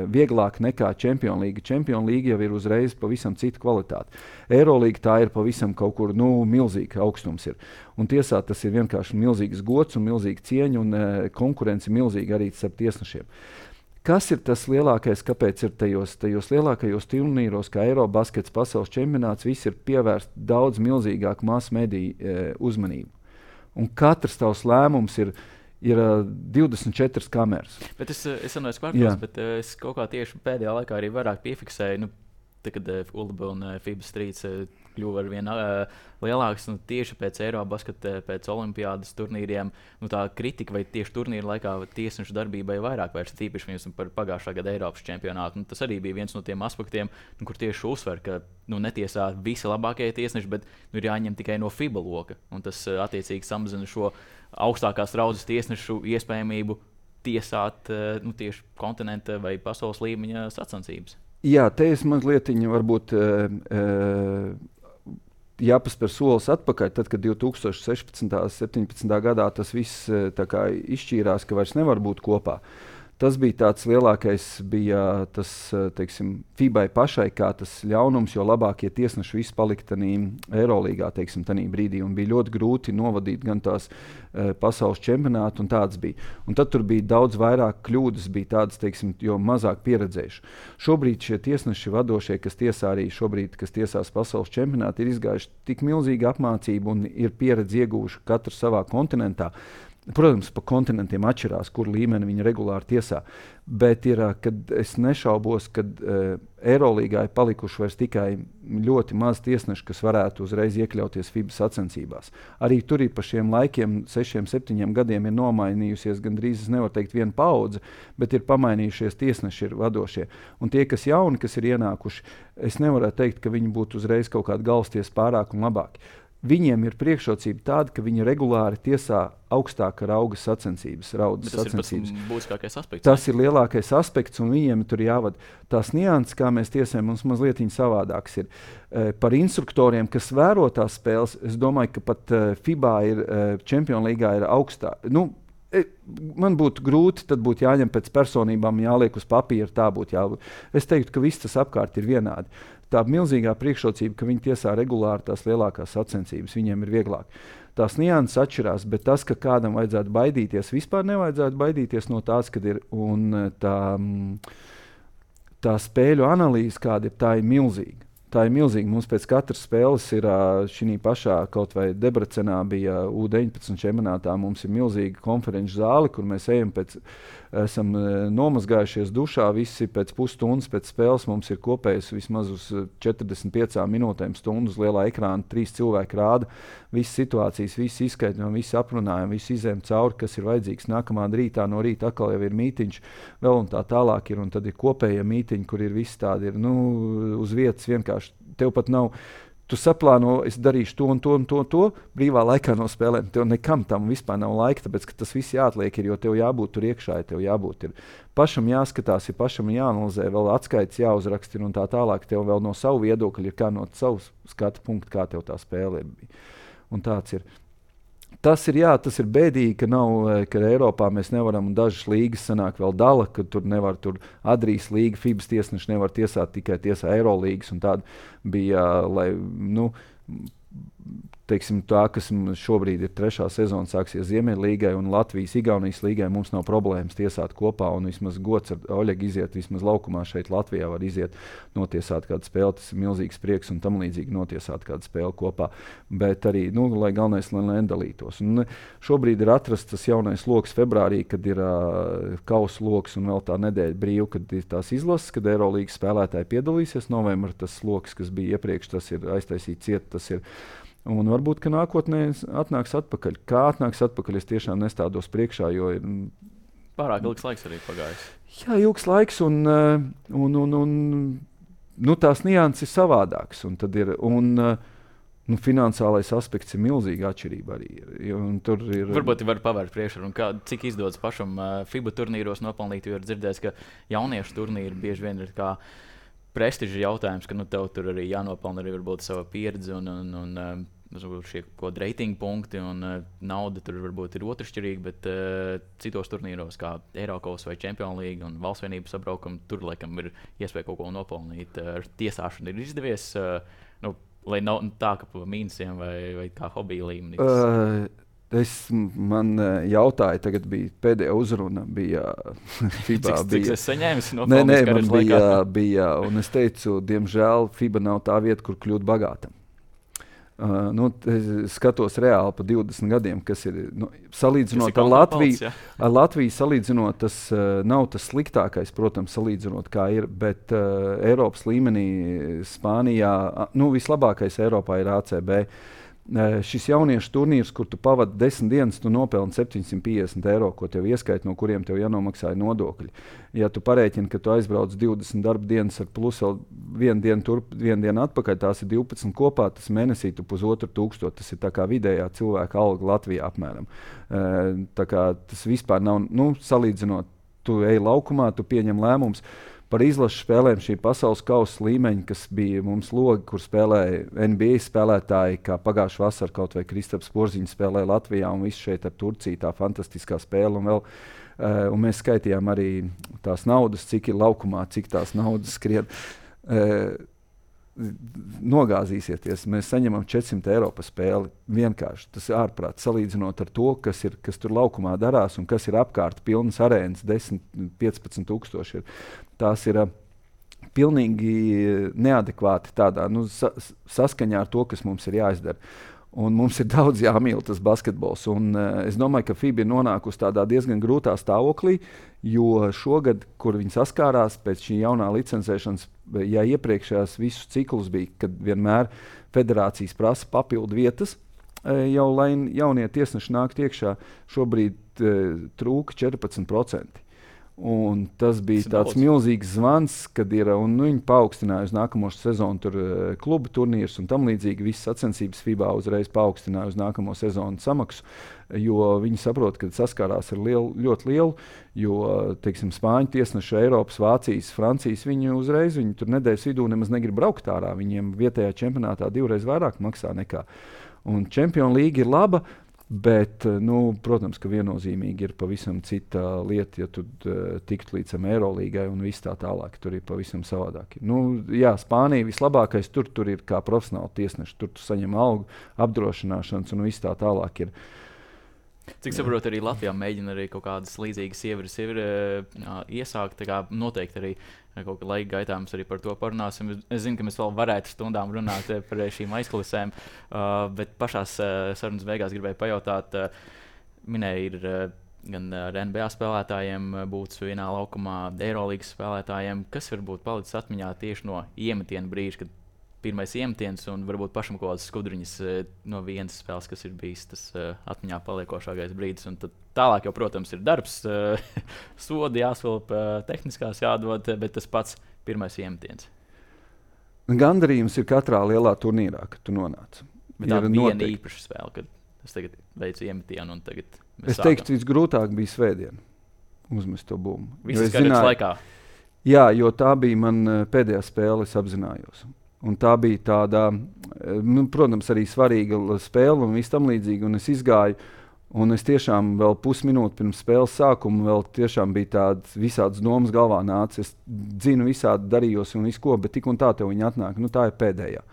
vieglāk nekā Champions League. Champions League jau ir uzreiz pavisam cita kvalitāte. Eurolīga tā ir pavisam kaut kur, nu, milzīga augstums ir. Un tiesā tas ir vienkārši milzīgs gods un milzīga cieņa un uh, konkurence milzīga arī starp tiesnešiem. Kas ir tas lielākais, kāpēc ir tajos, tajos lielākajos turnīros, kā Eirobaskets, pasaules čempionāts, viss ir pievērst daudz milzīgāku masu mediju e, uzmanību. Un katrs tavs lēmums ir, ir uh, divdesmit četras kameras. Bet es, es runāju kvartos, bet uh, es kaut kā tieši pēdējā laikā arī vairāk piefiksēju, nu, tā, kad uh, ULBA un uh, FIBA Streets uh, kļuva ar vien uh, lielāks, nu, tieši pēc Eirobasketa, pēc olimpiādas turnīriem, nu, tā kritika vai tieši turnīra laikā tiesnešu darbībai vairāk vērsta, tīpaši viņus par pagājušā gada Eiropas čempionātu. Nu, tas arī bija viens no tiem aspektiem, nu, kur tieši uzsver, ka nu, netiesā visi labākie tiesneši, bet nu, ir jāņem tikai no FIBA loka. Un tas uh, attiecīgi samazina šo augstākās raudzes tiesnešu iespējamību tiesāt uh, nu, tieši kontinenta vai pasaules līmeņa sacensības. Jā, te es mazliet varbūt uh, uh, jāpaspēr solis atpakaļ, tad, kad divi tūkstoši sešpadsmitā un septiņpadsmitā gadā tas viss tā kā izšķīrās, ka vairs nevar būt kopā. Tas bija tāds lielākais, bija tas, teiksim, FIBai pašai kā tas ļaunums, jo labākie tiesneši visi palika tanī Eirolīgā, teiksim, tanī brīdī, un bija ļoti grūti novadīt gan tās e, pasaules čempionātu, un tāds bija. Un tad tur bija daudz vairāk kļūdas, bija tādas, teiksim, jo mazāk pieredzējuši. Šobrīd šie tiesneši vadošie, kas tiesā arī šobrīd, kas tiesās pasaules čempionātu, ir izgājuši tik milzīgu apmācību un ir pieredzi ieguvuši katru savā kontinentā. Protams, pa kontinentiem atšķirās, kur līmeni viņi regulāri tiesā, bet ir, kad es nešaubos, ka uh, Eirolīgā ir palikuši vairs tikai ļoti maz tiesneši, kas varētu uzreiz iekļauties FIBA sacensībās. Arī tur ir pa šiem laikiem, sešiem, septiņiem gadiem ir nomainījusies, gandrīz es nevaru teikt viena paudze, bet ir pamainījušies tiesneši ir vadošie. Un tie, kas jauni, kas ir ienākuši, es nevaru teikt, ka viņi būtu uzreiz kaut kādi galvasties pārāk un labāki. Viņiem ir priekšrocība tāda, ka viņi regulāri tiesā augstāka rauga sacensības, raudas sacensības. Tas ir būtiskākais aspekts. Tas ir lielākais aspekts, un viņiem tur jāvada. Tās nianses, kā mēs tiesājam, mums mazliet savādāks ir. E, par instruktoriem, kas vēro tās spēles, es domāju, ka pat e, FIBā ir, e, Champions Leagueā ir augstā. Nu, e, man būtu grūti, tad būtu jāņem pēc personībām, jāliek uz papīra, tā būtu jābūt. Es teiktu, ka viss tas apkārt ir vienādi. Tā milzīgā priekšrocība, ka viņi tiesā regulāri tās lielākās sacensības, viņiem ir vieglāk. Tās nianses atšķirās, bet tas, ka kādam vajadzētu baidīties, vispār nevajadzētu baidīties no tās, kad ir un tā, tā spēļu analīze, kāda ir, tā ir milzīga. Tā ir milzīga. Mums pēc katras spēles ir šī pašā, kaut vai Debrecenā bija U deviņpadsmit čempionātā, mums ir milzīga konferenču zāle, kur mēs ejam pēc, esam nomazgājušies dušā, visi pēc pusstundas pēc spēles mums ir kopējis vismaz uz četrdesmit piecām minūtēm stundu uz lielā ekrāna, trīs cilvēki rāda, visas situācijas, visi izskaidrojam, visi aprunājam, visi izējam cauri, kas ir vajadzīgs. Nākamā rītā no rīta atkal jau ir mītiņš, vēl un tā tālāk ir, un tad ir kopējie mītiņi, kur ir visi tādi, ir, nu, uz vietas vienkārši. Tev pat nav, tu saplāno, es darīšu to un to un to, to brīvā laikā no spēlēm. Tev nekam tam vispār nav laika, tāpēc, ka tas viss jāatliek, ir, jo tev jābūt tur iekšā, tev jābūt ir. Pašam jāskatās, ir pašam jāanalizē, vēl atskaits jāuzrakst ir un tā tālāk. Tev vēl no savu viedokļa ir kā no savas skatu punktu, kā tev tā spēle ir. Un tāds ir. Tas ir, jā, tas ir bēdīgi, ka nav, ka Eiropā mēs nevaram, un dažas līgas sanāk vēl dala, ka tur nevar, tur Adrijas līga, FIBas tiesneši nevar tiesāt, tikai tiesā Eirolīgas, un tāda bija, lai, nu, teiksim, tā, kas šobrīd ir trešā sezona, sāksies Ziemeļlīgai un Latvijas, Igaunijas līgai, mums nav problēmas tiesāt kopā, un vismaz gods ar Oļegu iziet, vismaz laukumā šeit Latvijā var iziet, notiesāt kādu spēli, tas ir milzīgs prieks, un tam līdzīgi notiesāt kādu spēli kopā, bet arī, nu, lai galvenais, lai nedalītos. Un šobrīd ir atrasts tas jaunais loks februārī, kad ir uh, kausa loks un vēl tā nedēļa brīva, kad ir tās izlases, kad Eirolīgas spēlētāji piedalīsies, novembra tas loks, kas bija iepriekš, tas ir aiztaisīt ciet, tas ir. Un varbūt, ka nākotnē atnāks atpakaļ. Kā atnāks atpakaļ, es tiešām nestādos priekšā, jo ir... Pārāk ilgs laiks arī pagājis. Jā, ilgs laiks, un, un, un, un nu, tās nianses ir savādākas. Un tad ir, un, Nu, finansiālais aspekts ir milzīga atšķirība arī. Tur ir... Varbūt var pavērt priekšā, kā, cik izdodas pašam uh, FIBA turnīros nopelnīt, jo ir dzirdēts, ka jauniešu turnīri bieži vien ir kā prestiža jautājums, ka nu, tev tur arī jānopelna arī varbūt sava pieredze un, un, un uh, šie kaut kādi reitingu punkti un uh, nauda tur varbūt ir otršķirīga, bet uh, citos turnīros kā Eiropas vai Champions League un valstsvienības sabraukumi, tur laikam ir iespēja kaut ko nopelnīt. Uh, ar tiesāšanu ir izdevies, uh, nu, lai nav tā, ka pa mīnusiem vai, vai kā hobija līmenī? Uh, es man jautāju, tagad bija pēdējā uzruna, bija FIBA. Cik, cik es saņēmu no nē, nē, man bija, bija, un es teicu, diemžēl FIBA nav tā vieta, kur kļūt bagātam. Uh, nu, es skatos reāli pa divdesmit gadiem, kas ir, nu, salīdzinot ar Latviju, palds, ar Latviju salīdzinot, tas uh, nav tas sliktākais, protams, salīdzinot kā ir, bet uh, Eiropas līmenī Spānijā, nu, vislabākais Eiropā ir A C B. Uh, šis jauniešu turnīrs, kur tu pavadi desmit dienas, tu nopelni septiņsimt piecdesmit eiro, ko tev ieskait, no kuriem tev jānomaksāja nodokļi. Ja tu parēķini, ka tu aizbrauc divdesmit darba dienas ar plus vēl vienu dienu turp, vienu dienu atpakaļ, tās ir divpadsmit kopā, tas mēnesī tu pusotru tūkstoši, tas ir tā kā vidējā cilvēka alga Latvijā apmēram. Uh, tā kā tas vispār nav, nu, salīdzinot, tu ej laukumā, tu pieņem lēmums. Par izlašu spēlēm šī pasaules kausa līmeņa, kas bija mums logi, kur spēlēja N B A spēlētāji, kā pagājušā vasarā kaut vai Kristaps Porziņš spēlēja Latvijā un viss šeit ar Turciju, tā fantastiskā spēle. Un, vēl, uh, un mēs skaitījām arī tās naudas, cik ir laukumā, cik tās naudas skrien. Uh, nogāzīsieties, mēs saņemam četrsimt eiro par spēli. Vienkārši tas ir ārprāt, salīdzinot ar to, kas, ir, kas tur laukumā darās un kas ir apkārt pilnas arēnas, desmit, piecpadsmit tūkstoši. Tās ir uh, pilnīgi neadekvāti tādā, nu, sa saskaņā ar to, kas mums ir jāizdara. Un mums ir daudz jāmīl tas basketbols. Un, uh, es domāju, ka FIBA ir nonākusi tādā diezgan grūtā stāvoklī, jo šogad, kur viņi saskārās pēc šī jaunā licencēšanas, ja iepriekšējās visus ciklus bija, kad vienmēr federācijas prasa papildu vietas, jau lai jaunie tiesneši nāktu iekšā, šobrīd uh, trūka četrpadsmit procenti. Un tas bija tas tāds daudz. Milzīgs zvans, kad ir, un, nu, viņi paaugstināja uz nākamo sezonu tur, uh, klubu turnīrus un tam līdzīgi. Visas sacensības FIBA uzreiz paaugstināja uz nākamo sezonu samaksu, jo viņi saprot, ka saskārās ar lielu, ļoti lielu, jo, teiksim, Spāņu tiesneši, Eiropas, Vācijas, Francijas, viņi uzreiz, viņi tur nedēļas vidū nemaz negrib braukt ārā. Viņiem vietējā čempionātā divreiz vairāk maksā nekā. Un Champions League ir laba, bet, nu, protams, ka viennozīmīgi ir pavisam cita lieta, ja tu uh, tiktu līdz Eirolīgai un viss tā tālāk. Tur ir pavisam savādāk. Nu, jā, Spānija vislabākais, tur, tur ir kā profesionāli tiesneši. Tur tu saņem algu, apdrošināšanas un viss tā tālāk ir. Cik saprotu, arī Latvijā mēģina arī kaut kādas līdzīgas ieviras ir uh, iesākt, tā kā noteikti arī kaut kā laika gaitā mums arī par to parunāsim. Es zinu, ka mēs vēl varētu stundām runāt par šīm aizkulisēm, uh, bet pašās uh, sarunas beigās gribēju pajautāt, uh, minēja ir uh, gan ar N B A spēlētājiem būtu vienā laukumā, Eirolīgas spēlētājiem, kas varbūt palicis atmiņā tieši no iemetiena brīža, kad pirmais iemetiens un varbūt pašam kaut kādas skudriņas no vienas spēles, kas ir bijis tas uh, atmiņā paliekošākais brīdis. Un tad tālāk jau, protams, ir darbs, uh, sodi jāsvilp, uh, tehniskās jādod, bet tas pats pirmais iemetiens. Gandarījums ir katrā lielā turnīrā, kad tu nonāc. Bet tā ir viena īpaša spēle, kad es tagad veicu iemetienu un tagad mēs Es teiktu, visgrūtāk bija svētdiena uzmest to bumbu. Visas karjeras laikā? Jā, jo tā bija man pēdējā spēle, es apzinājos. Un tā bija tāda, nu, protams, arī svarīga spēle un viss tam līdzīgi. Un es izgāju, un es tiešām vēl pusminūti pirms spēles sākuma vēl tiešām bija tādas visādas domas galvā nāca. Es dzinu visādi darījos un visu ko, bet tik un tā tev viņa atnāk. Nu, tā ir pēdējā.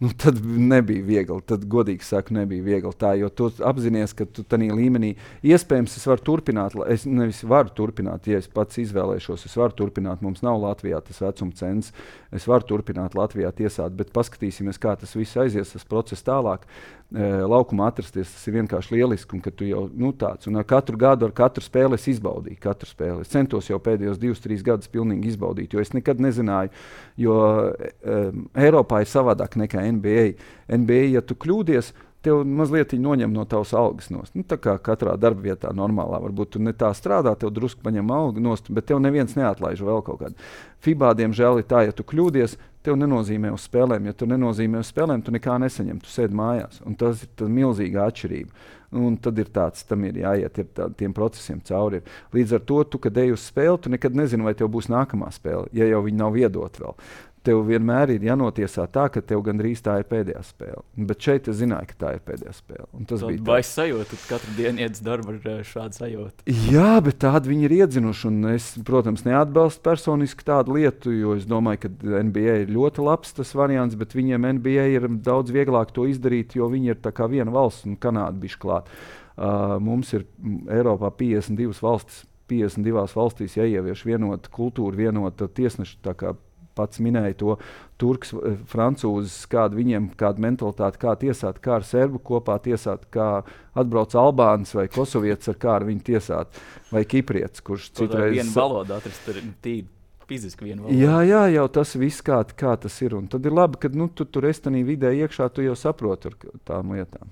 Nu, tad nebija viegli, tad godīgi saku, nebija viegli tā, jo tu apzinies, ka tu tanī līmenī, iespējams, es varu turpināt, es nevis varu turpināt, ja es pats izvēlēšos, es varu turpināt, mums nav Latvijā tas vecuma cens, es varu turpināt Latvijā tiesāt, bet paskatīsimies, kā tas viss aizies, tas process tālāk. E, laukumā atrasties, tas ir vienkārši lieliski, un ka tu jau, nu, tāds, un ar katru gadu, ar katru spēli es izbaudīju, katru spēli. Es centos jau pēdējos divus, trīs gadus pilnīgi izbaudīt, jo es nekad nezināju, jo um, Eiropā ir savādāk nekā N B A. N B A, ja tu kļūdies, tev mazliet noņem no tavas algas nost. Nu, tā kā katrā darba vietā normālā, varbūt tu ne tā strādā, tev drusku paņem algu nost, bet tev neviens neatlaiž vēl kaut kādu. FIBA, diemžēl, ir tā, ja tu kļūdies, tev nenozīmē uz spēlēm. Ja tu nenozīmē uz spēlēm, tu nekā nesaņem, tu sēdi mājās. Un tas ir tā milzīga atšķirība. Un tad ir tāds, tam ir jāiet ir tā, tiem procesiem cauri. Ir. Līdz ar to, tu, kad ej uz spēli, tu nekad nezini, vai tev būs nākamā spēle, ja jau viņi nav iedot vēl. Tev vienmēr ir jānotiesā tā, ka tev gandrīz tā ir pēdējā spēle. Bet šeit es zināju, ka tā ir pēdējā spēle. Un tas Tad bija baisa sajūta, ka katru dienu iet uz darbu ar šādu sajūtu. Jā, bet tādu viņi ir iedzinuši. Un es, protams, neatbalstu personiski tādu lietu, jo es domāju, ka N B A ir ļoti labs tas variants, bet viņiem N B A ir daudz vieglāk to izdarīt, jo viņi ir tā kā viena valsts un Kanāda bišķi klāt. Uh, mums ir Eiropā piecdesmit divas valstis, piecdesmit divās valstīs jāievieš vienota kultūra, vienota tiesneša, tā kā pats minēja to turks, francūzis, kāda viņiem, kāda mentalitāte, kā tiesāt, kā ar serbu kopā tiesāt, kā atbrauc albānis vai kosovietis, ar kā ar viņu tiesāt, vai kiprietis, kurš citreiz... Vienu valodu atrast, ir tīri fiziski vienu valodu. Jā, jā, jau tas viss kā, kā tas ir. Un tad ir labi, ka nu, tu tur esi tanī vidē iekšā, tu jau saproti ar tām lietām.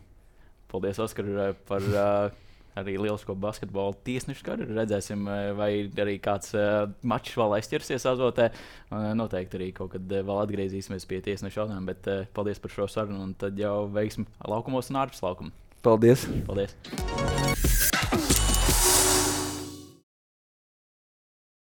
Paldies, Oskar, par uh, arī lielisko basketbolu tiesnešu karjeru. Redzēsim, vai arī kāds uh, mačs vēl aizķersies azotē. Uh, noteikti arī kaut kad uh, vēl atgriezīsimies pie tiesnešu jautājumiem, bet uh, paldies par šo sarunu un tad jau veiksim laukumos un ārpus laukuma. Paldies! Paldies!